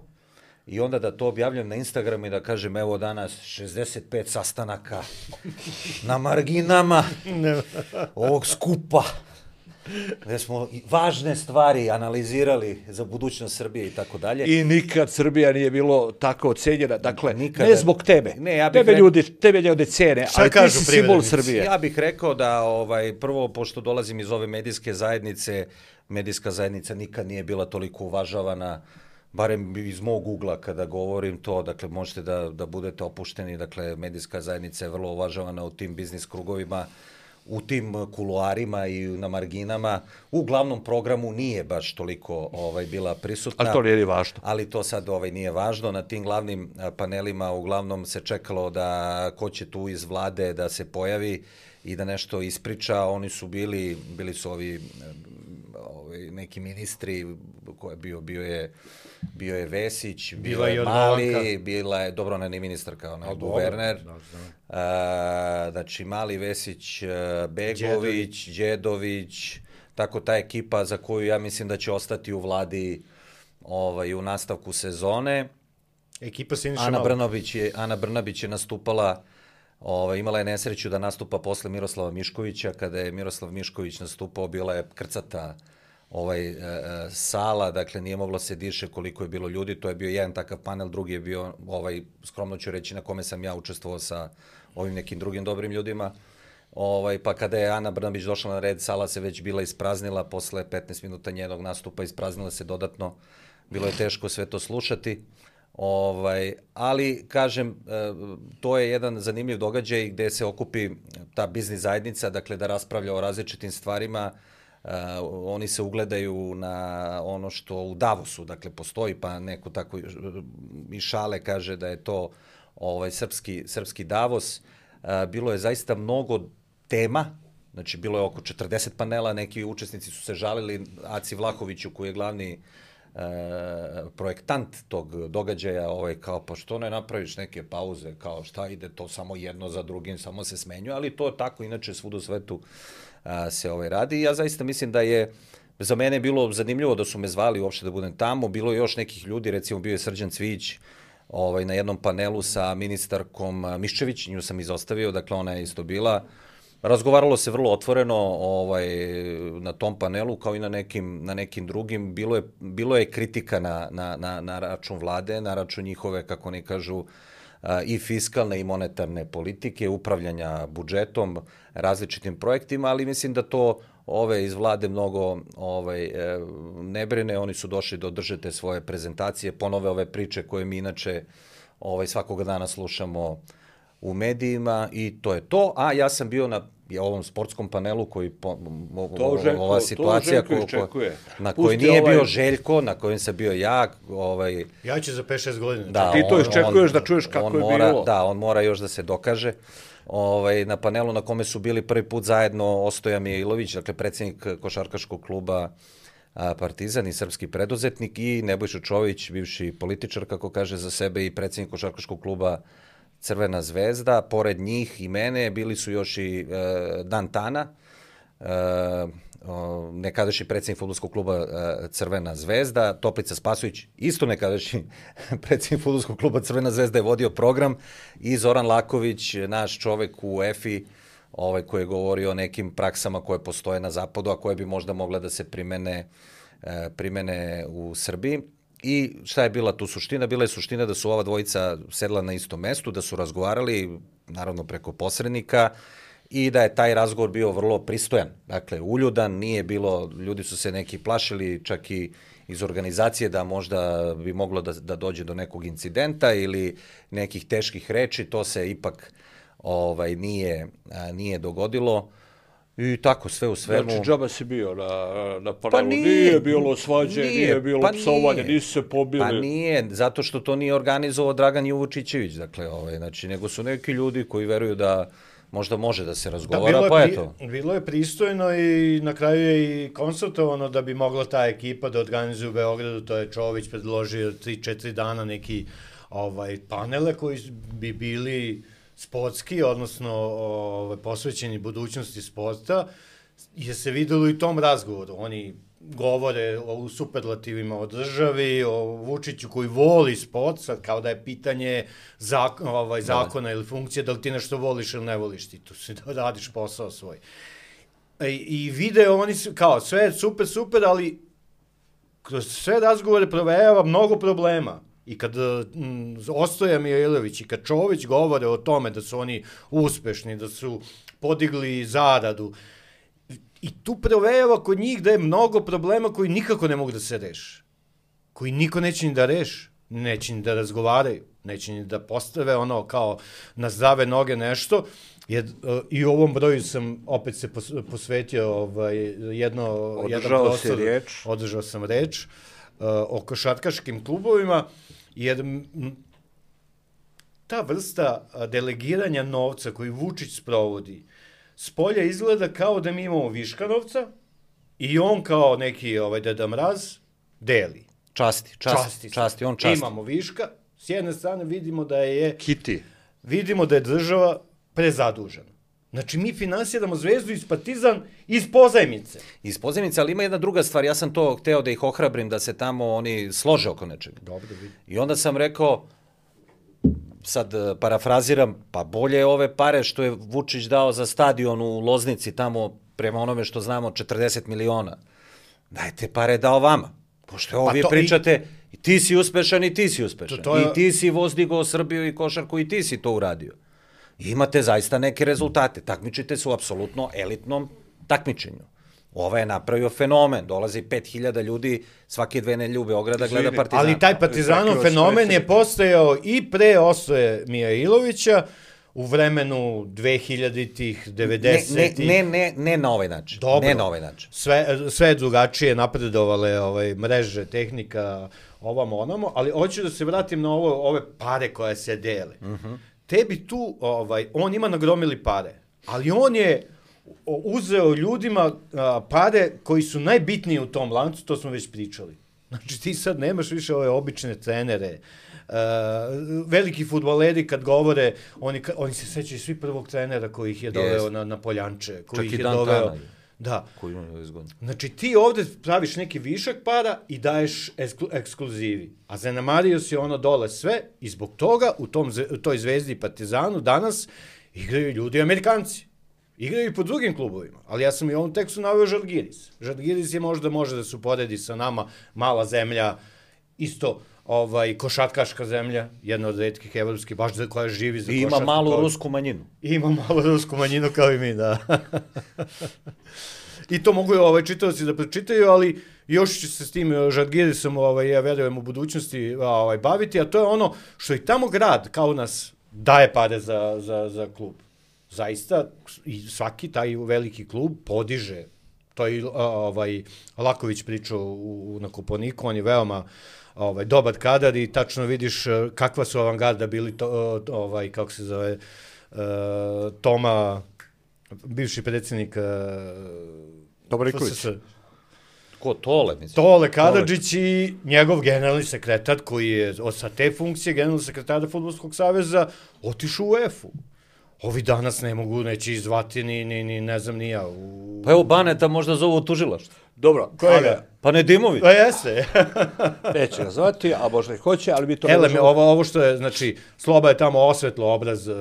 I onda da to objavljam na Instagramu i da kažem, evo danas šezdeset pet sastanaka na marginama ovog skupa, gde smo važne stvari analizirali za budućnost Srbije i tako dalje. I nikad Srbija nije bilo tako ocenjena, dakle, Nikada. ne zbog tebe. Ne, ja bih tebe re... ljudi, tebe ljudi cene, ali ti si simbol Srbije. Ja bih rekao da, ovaj, prvo, pošto dolazim iz ove medijske zajednice, medijska zajednica nikad nije bila toliko uvažavana, barem iz mog ugla kada govorim to, dakle možete da, da budete opušteni, dakle medijska zajednica je vrlo uvažavana u tim biznis krugovima, u tim kuloarima i na marginama. U glavnom programu nije baš toliko ovaj, bila prisutna. Ali to nije važno. Ali to sad ovaj, nije važno. Na tim glavnim panelima uglavnom se čekalo da ko će tu iz vlade da se pojavi i da nešto ispriča. Oni su bili, bili su ovi, ovi neki ministri, ko je bio, bio je bio je Vesić, bio je Mali, bila je, dobro, ona nije ministar kao ne, guverner, a, znači Mali, Vesić, Begović, Đedović, tako ta ekipa za koju ja mislim da će ostati u vladi ovaj, u nastavku sezone. Ekipa Siniša Ana Brnabić je, Ana Brnabić je nastupala, ovaj, imala je nesreću da nastupa posle Miroslava Miškovića, kada je Miroslav Mišković nastupao, bila je krcata ovaj, e, sala, dakle nije moglo se diše koliko je bilo ljudi, to je bio jedan takav panel, drugi je bio, ovaj, skromno ću reći, na kome sam ja učestvovao sa ovim nekim drugim dobrim ljudima, ovaj, pa kada je Ana Brnabić došla na red, sala se već bila ispraznila, posle petnaest minuta njenog nastupa ispraznila se dodatno, bilo je teško sve to slušati, ovaj, ali kažem, to je jedan zanimljiv događaj gde se okupi ta biznis zajednica, dakle da raspravlja o različitim stvarima. Uh, oni se ugledaju na ono što u Davosu, dakle, postoji, pa neko tako i šale kaže da je to ovaj, srpski, srpski Davos. Uh, bilo je zaista mnogo tema, znači bilo je oko četrdeset panela, neki učesnici su se žalili Aci Vlahoviću, koji je glavni uh, projektant tog događaja, ovaj, kao, pa što ne napraviš neke pauze, kao šta ide to samo jedno za drugim, samo se smenjuje, ali to tako inače svud u svetu se ovaj radi. Ja zaista mislim da je za mene bilo zanimljivo da su me zvali uopšte da budem tamo. Bilo je još nekih ljudi, recimo bio je Srđan Cvijić, ovaj, na jednom panelu sa ministarkom Miščević, nju sam izostavio, dakle ona je isto bila. Razgovaralo se vrlo otvoreno ovaj, na tom panelu, kao i na nekim, na nekim drugim. Bilo je, bilo je kritika na, na, na, na račun vlade, na račun njihove, kako oni kažu, i fiskalne i monetarne politike, upravljanja budžetom, različitim projektima, ali mislim da to ove iz vlade mnogo ovaj, ne brine. Oni su došli da održe te svoje prezentacije, ponove ove priče koje mi inače ovaj, svakoga dana slušamo u medijima i to je to. A ja sam bio na ovom sportskom panelu koji po, to Željko, ova situacija to Željko ko, na kojoj nije ovaj... bio Željko, na kojem sam bio ja. Ovaj, ja ću za pet šest godina. Da, ti to iščekuješ da čuješ kako je mora, bilo. Da, on mora još da se dokaže. Ovaj, na panelu na kome su bili prvi put zajedno Ostoja Mijailović, dakle predsjednik košarkaškog kluba Partizan i srpski preduzetnik, i Nebojša Čović, bivši političar, kako kaže za sebe, i predsjednik košarkaškog kluba Crvena zvezda. Pored njih i mene bili su još i e, Dan Tana, e, nekadašnji predsjednik fudbalskog kluba e, Crvena zvezda, Toplica Spasović, isto nekadašnji predsjednik fudbalskog kluba Crvena zvezda, je vodio program, i Zoran Laković, naš čovek u E F I, ovaj, koji je govorio o nekim praksama koje postoje na zapadu, a koje bi možda mogle da se primene, e, primene u Srbiji. I šta je bila tu suština? Bila je suština da su ova dvojica sedla na istom mestu, da su razgovarali, naravno preko posrednika, i da je taj razgovor bio vrlo pristojan. Dakle, uljudan, nije bilo, ljudi su se neki plašili, čak i iz organizacije, da možda bi moglo da, da dođe do nekog incidenta ili nekih teških reči. To se ipak ovaj, nije, nije dogodilo. I tako, sve u svemu... Znači, džaba si bio na, na panelu, pa nije, nije bilo svađe, nije, nije bilo pa psovanje, nisu se pobili. Pa nije, zato što to nije organizovao Dragan Juvučićević, dakle, ovaj, znači, nego su neki ljudi koji veruju da možda može da se razgovara, da, pa eto. Bilo je pristojno i na kraju je i konsultovano da bi mogla ta ekipa da organizuje u Beogradu. To je Čović predložio tri četiri dana neki ovaj, panele koji bi bili sportski, odnosno ovaj, posvećeni budućnosti sporta, je se videlo i u tom razgovoru. Oni govore o superlativima o državi, o Vučiću koji voli sport, sad kao da je pitanje zak, ovaj, zakona ili funkcije, da li ti nešto voliš ili ne voliš, ti tu si da radiš posao svoj. I, i video, oni su, kao, sve je super, super, ali kroz sve razgovore provejava mnogo problema. I kad m, Ostoja Mijailović i kad Čović govore o tome da su oni uspešni, da su podigli zaradu, i tu provejava kod njih da je mnogo problema koji nikako ne mogu da se reši. Koji niko neće ni da reši, neće ni da razgovaraju, neće ni da postave ono kao na zdrave noge nešto. Jer, uh, i u ovom broju sam opet se pos, posvetio ovaj, jedno, održao jedan prostor, si reč. Održao sam reč uh, o košarkaškim klubovima, jer m, ta vrsta delegiranja novca koji Vučić sprovodi, spolja izgleda kao da mi imamo viška novca i on kao neki ovaj, Deda Mraz deli. Časti, časti, časti, časti, on časti. Imamo viška, s jedne strane vidimo da je... Kiti. Vidimo da je država prezadužena. Znači, mi finansiramo Zvezdu iz Partizan iz pozajmice. Iz pozajmice, ali ima jedna druga stvar. Ja sam to hteo da ih ohrabrim, da se tamo oni slože oko nečega. Dobro, vidim. I onda sam rekao, sad parafraziram, pa bolje ove pare što je Vučić dao za stadion u Loznici, tamo prema onome što znamo četrdeset miliona. Dajte pare dao vama. Pošto ovo pa vi pričate, i... i ti si uspešan i ti si uspešan. To, to je... I ti si vozdigao Srbiju i košarku i ti si to uradio. I imate zaista neke rezultate. Takmičite se u apsolutno elitnom takmičenju. Ova je napravio fenomen. Dolazi pet hiljada ljudi svake dve nedelje u Beograda gleda Partizan. Ali taj Partizanov fenomen je postojao i pre Ostoje Mijailovića, u vremenu dvehiljaditih, devedesetih. Ne, ne, ne, ne na ovaj način. Dobro. Ne na ovaj način. Sve, sve drugačije napredovale ovaj, mreže, tehnika, ovamo, onamo, ali hoću da se vratim na ovo, ove pare koje se dele. Uh-huh. Tebi tu, ovaj, on ima nagromili pare, ali on je uzeo ljudima a, pare koji su najbitniji u tom lancu, to smo već pričali. Znači ti sad nemaš više ove obične trenere, uh, veliki fudbaleri kad govore, oni, oni se sećaju svi prvog trenera koji ih je doveo yes. na, na Poljanče, koji Čak ih je Dan doveo... Tana. Da. Koji imaju dvadeset godina. Znači, ti ovde praviš neki višak para i daješ eksklu, ekskluzivi. A zanemario si ono dole sve i zbog toga u tom, u toj Zvezdi i Partizanu danas igraju ljudi Amerikanci. Igraju i po drugim klubovima. Ali ja sam i u ovom tekstu naveo Žalgiris. Žalgiris je možda može da se uporedi sa nama, mala zemlja, isto ovaj, košatkaška zemlja, jedna od retkih evropskih, baš za koja živi za I košatku. ima malu kao... rusku manjinu. I ima malu rusku manjinu kao i mi, da. I to mogu ovaj, čitavci da pročitaju, ali još će se s tim Žalgirisom, ovaj, ja verujem, u budućnosti ovaj, baviti, a to je ono što i tamo grad, kao nas, daje pare za, za, za klub. Zaista, i svaki taj veliki klub podiže. To je ovaj, Laković pričao u, na Koponiku, on je veoma ovaj, dobar kadar i tačno vidiš kakva su avangarda bili, to, ovaj, kako se zove, uh, Toma, bivši predsjednik Dobriković. Ko, Tole, mislim? Tole Karadžić i njegov generalni sekretar, koji je sa te funkcije generalni sekretara Fudbalskog saveza otišao u UEFA-u. Ovi danas ne mogu, neće izvati ni, ni, ni ne znam, ni ja. U... Pa evo Baneta možda zovu tužilaštvo. Dobro. Kojega? Pa Nedimović. Pa jeste. Neće ga zvati, a možda i hoće, ali mi to... Ele, možemo... ovo, ovo što je, znači, Sloba je tamo osvetlo obraz uh,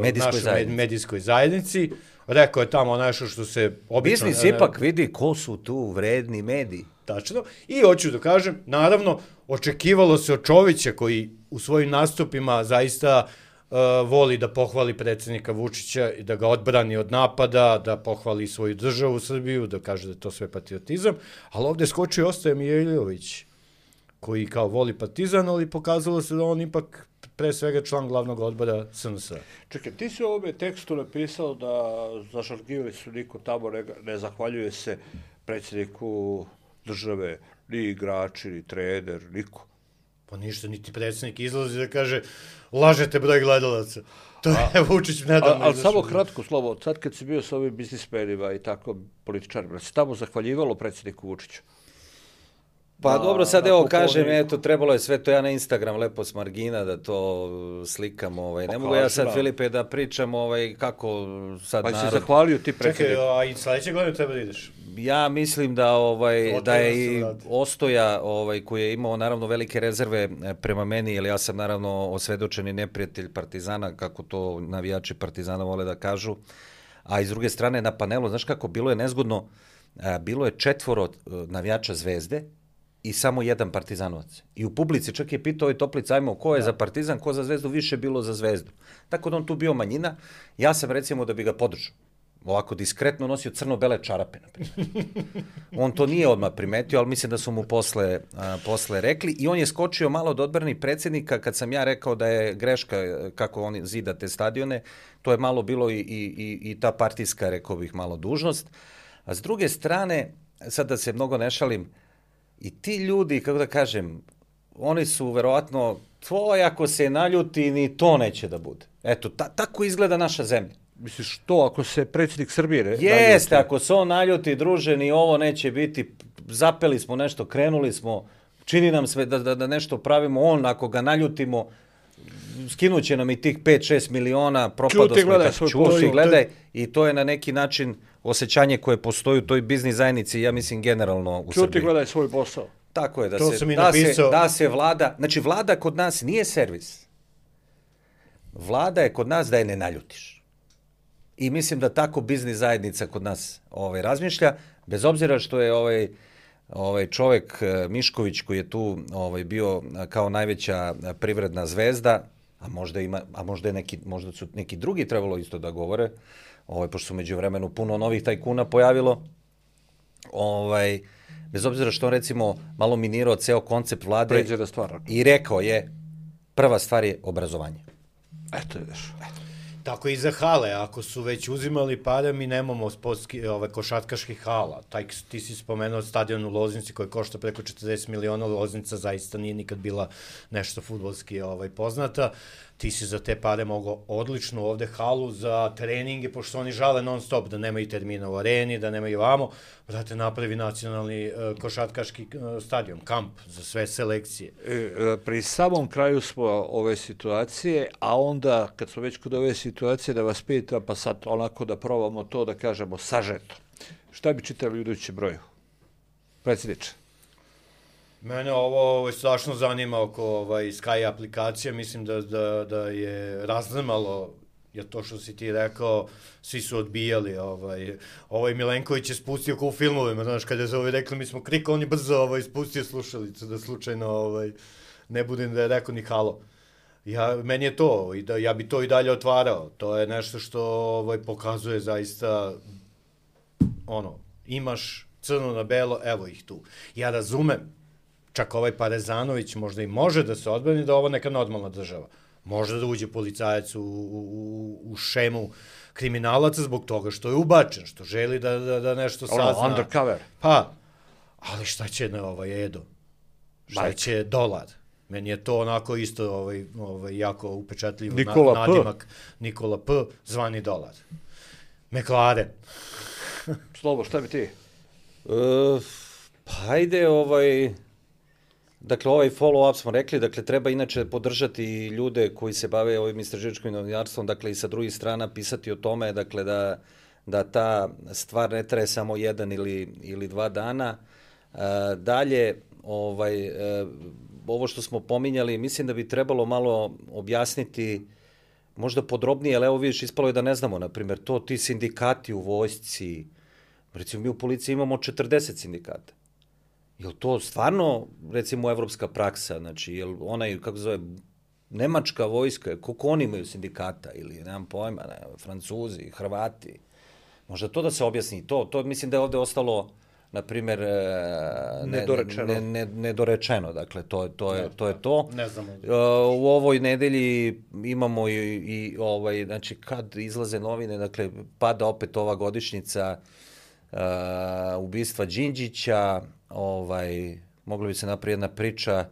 medijskoj našoj zajednici. medijskoj zajednici. Rekao je tamo nešto što se obično... Biznis ipak vidi ko su tu vredni mediji. Tačno. I hoću da kažem, naravno, očekivalo se od Čovića koji u svojim nastupima zaista uh, voli da pohvali predsjednika Vučića i da ga odbrani od napada, da pohvali svoju državu Srbiju, da kaže da je to sve patriotizam, ali ovde skočio ostaje Mijailović, koji kao voli Partizan, ali pokazalo se da on ipak pre svega član glavnog odbora S N S-a. Čekaj, ti si u ovome tekstu napisao da za Žalgiris niko tamo ne, ne zahvaljuje se predsjedniku države, ni igrači, ni trener, niko. Pa ništa, niti predsjednik izlazi da kaže lažete broj gledalaca. To je Vučić nedavno. Ali samo kratko slovo, sad kad si bio s ovim biznismenima i tako političarima, si tamo zahvaljivalo predsjedniku Vučiću? Pa na, dobro, sad evo kažem, Kupovniku. eto, trebalo je sve to ja na Instagram lepo s margina da to slikam, ovaj. Ne mogu ja sad, Filipe, da pričam ovaj, kako sad pa narod... si zahvalio ti predsjedniku. Čekaj, a i sledeće godine treba da ideš? Ja mislim da ovaj Otvara da je se i vrata. Ostoja ovaj koji je imao naravno velike rezerve prema meni, jer ja sam naravno osvedočeni neprijatelj Partizana, kako to navijači Partizana vole da kažu. A iz druge strane na panelu, znaš kako bilo je nezgodno, a, bilo je četvoro navijača Zvezde i samo jedan Partizanovac. I u publici čak je pitao ovaj Toplica, ajmo, ko je da. za Partizan, ko za Zvezdu, više bilo za Zvezdu. Tako da on tu bio manjina. Ja sam recimo da bi ga podržao. Ovako diskretno nosio crno-bele čarape, naprimjer. On to nije odmah primetio, ali mislim da su mu posle, a, posle rekli. I on je skočio malo do odbrani predsjednika kad sam ja rekao da je greška kako oni zida te stadione. To je malo bilo i, i, i ta partijska, rekao bih, malo dužnost. A s druge strane, sad da se mnogo ne šalim, i ti ljudi, kako da kažem, oni su verovatno, tvoj ako se naljuti, ni to neće da bude. Eto, ta, tako izgleda naša zemlja. Misliš što, ako se predsjednik Srbije... Ne, Jeste, ako se on naljuti, druže, ni ovo neće biti, zapeli smo nešto, krenuli smo, čini nam sve da, da, da nešto pravimo, on ako ga naljutimo, skinuće nam i tih pet šest miliona, propado Čuti, smo, gledaj tako, svoj čuti, posao. gledaj, i to je na neki način osjećanje koje postoji u toj biznis zajednici, ja mislim generalno u Čuti, Srbiji. gledaj svoj posao. Tako je, da To se, sam i da, se, napisao. da se vlada, znači vlada kod nas nije servis. Vlada je kod nas da je ne naljutiš. I mislim da tako biznis zajednica kod nas ovaj, razmišlja, bez obzira što je ovaj, ovaj čovjek Mišković koji je tu ovaj, bio kao najveća privredna zvezda, a možda, ima, a možda, je neki, možda su neki drugi trebalo isto da govore, ovaj, pošto su među vremenu puno novih tajkuna pojavilo, ovaj, bez obzira što on recimo malo minirao ceo koncept vlade Pređe da stvara. i rekao je, prva stvar je obrazovanje. Eto, ideš. Tako i za hale, ako su već uzimali pare, mi nemamo sportski, ove, košatkaških hala. Taj, ti si spomenuo stadion u Loznici koji košta preko četrdeset miliona, Loznica zaista nije nikad bila nešto fudbalski ovaj, poznata. Ti si za te pare mogao odličnu ovde halu za treninge, pošto oni žale non stop da nemaju termina u areni, da nemaju vamo, brate, napravi nacionalni uh, košatkaški uh, stadion, kamp za sve selekcije. E, pri samom kraju smo ove situacije, a onda, kad smo već kod ove situacije, situacije da vas pitam, pa sad onako da probamo to da kažemo sažeto. Šta bi čitali u idućem broju? Predsjedniče. Mene ovo, ovo strašno zanima oko ovaj, Sky aplikacije, mislim da, da, da je raznamalo, jer to što si ti rekao, svi su odbijali, ovaj, ovaj Milenković je spustio kao u filmovima, znaš, kada je ovaj rekli, mi smo krikao, on je brzo ovaj, spustio slušalicu, da slučajno ovaj, ne budem da je rekao ni halo. Ja, meni je to, i da, ja bi to i dalje otvarao, to je nešto što ovaj, pokazuje zaista, ono, imaš crno na belo, evo ih tu. Ja razumem, čak ovaj Parezanović možda i može da se odbrani da je ovo neka normalna država. Može da uđe policajac u, u, u šemu kriminalaca zbog toga što je ubačen, što želi da, da, da nešto sazna. Ono, undercover. Pa, ali šta će na ovaj Edo? Šta Bajka. će dolar? Meni je to onako isto ovaj, ovaj, jako upečatljivo. Nikola na, nadimak Nikola P, zvani dolar. McLaren. Slobo, šta bi ti? E, pa ajde, ovaj... Dakle, ovaj follow-up smo rekli, dakle, treba inače podržati ljude koji se bave ovim istraživačkim novinarstvom, dakle, i sa drugih strana pisati o tome, dakle, da, da ta stvar ne traje samo jedan ili, ili dva dana. E, dalje, ovaj, e, ovo što smo pominjali, mislim da bi trebalo malo objasniti, možda podrobnije, ali evo vidiš, ispalo je da ne znamo, na primjer, to ti sindikati u vojsci, recimo mi u policiji imamo četrdeset sindikata. Je li to stvarno, recimo, evropska praksa? Znači, je li onaj, kako zove, nemačka vojska, koliko oni imaju sindikata, ili, nemam pojma, ne, Francuzi, Hrvati, možda to da se objasni, to, to mislim da je ovde ostalo, na primjer, ne, nedorečeno. Ne, ne, nedorečeno, dakle, to, to, je, to je to. Ne znamo. U ovoj nedelji imamo i, i ovaj, znači, kad izlaze novine, dakle, pada opet ova godišnjica uh, ubistva Đinđića, ovaj, mogla bi se napraviti jedna priča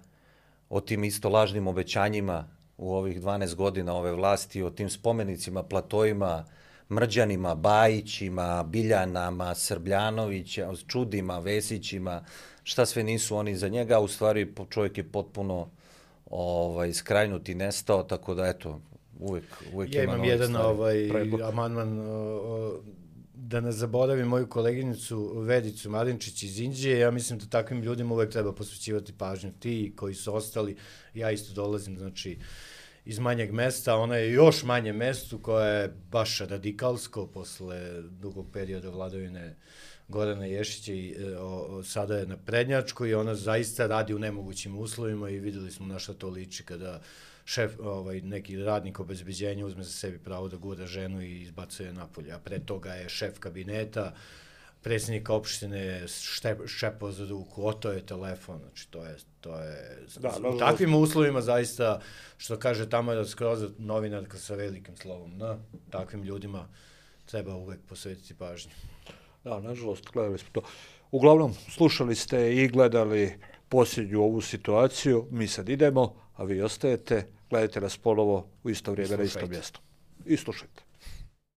o tim isto lažnim obećanjima u ovih dvanaest godina ove vlasti, o tim spomenicima, platojima, Mrđanima, Bajićima, Biljanama, Srbljanovića, Čudima, Vesićima, šta sve nisu oni za njega, u stvari čovjek je potpuno ovaj, skrajnut i nestao, tako da eto, uvek, uvek ja ima imam jedan ovaj, amandman, da ne zaboravim moju koleginicu Vedicu Marinčić iz Indije, ja mislim da takvim ljudima uvek treba posvećivati pažnju. Ti koji su ostali, ja isto dolazim, znači, iz manjeg mesta, ona je još manje mestu koje je baš radikalsko posle dugog perioda vladavine Gorana Ješića i o, o, sada je na prednjačkoj i ona zaista radi u nemogućim uslovima i videli smo na šta to liči kada šef, ovaj, neki radnik obezbeđenja uzme za sebi pravo da gura ženu i izbacuje napolje, a pre toga je šef kabineta, predsjednik opštine šepao za ruku, oto je telefon, znači to je, to je, da, u takvim uslovima zaista, što kaže Tamara Skroza, novinarka sa velikim slovom, na takvim ljudima treba uvek posvetiti pažnju. Da, nažalost, gledali smo to. Uglavnom, slušali ste i gledali posljednju ovu situaciju, mi sad idemo, a vi ostajete, gledajte nas ponovo u isto vrijeme na isto mjesto. I slušajte.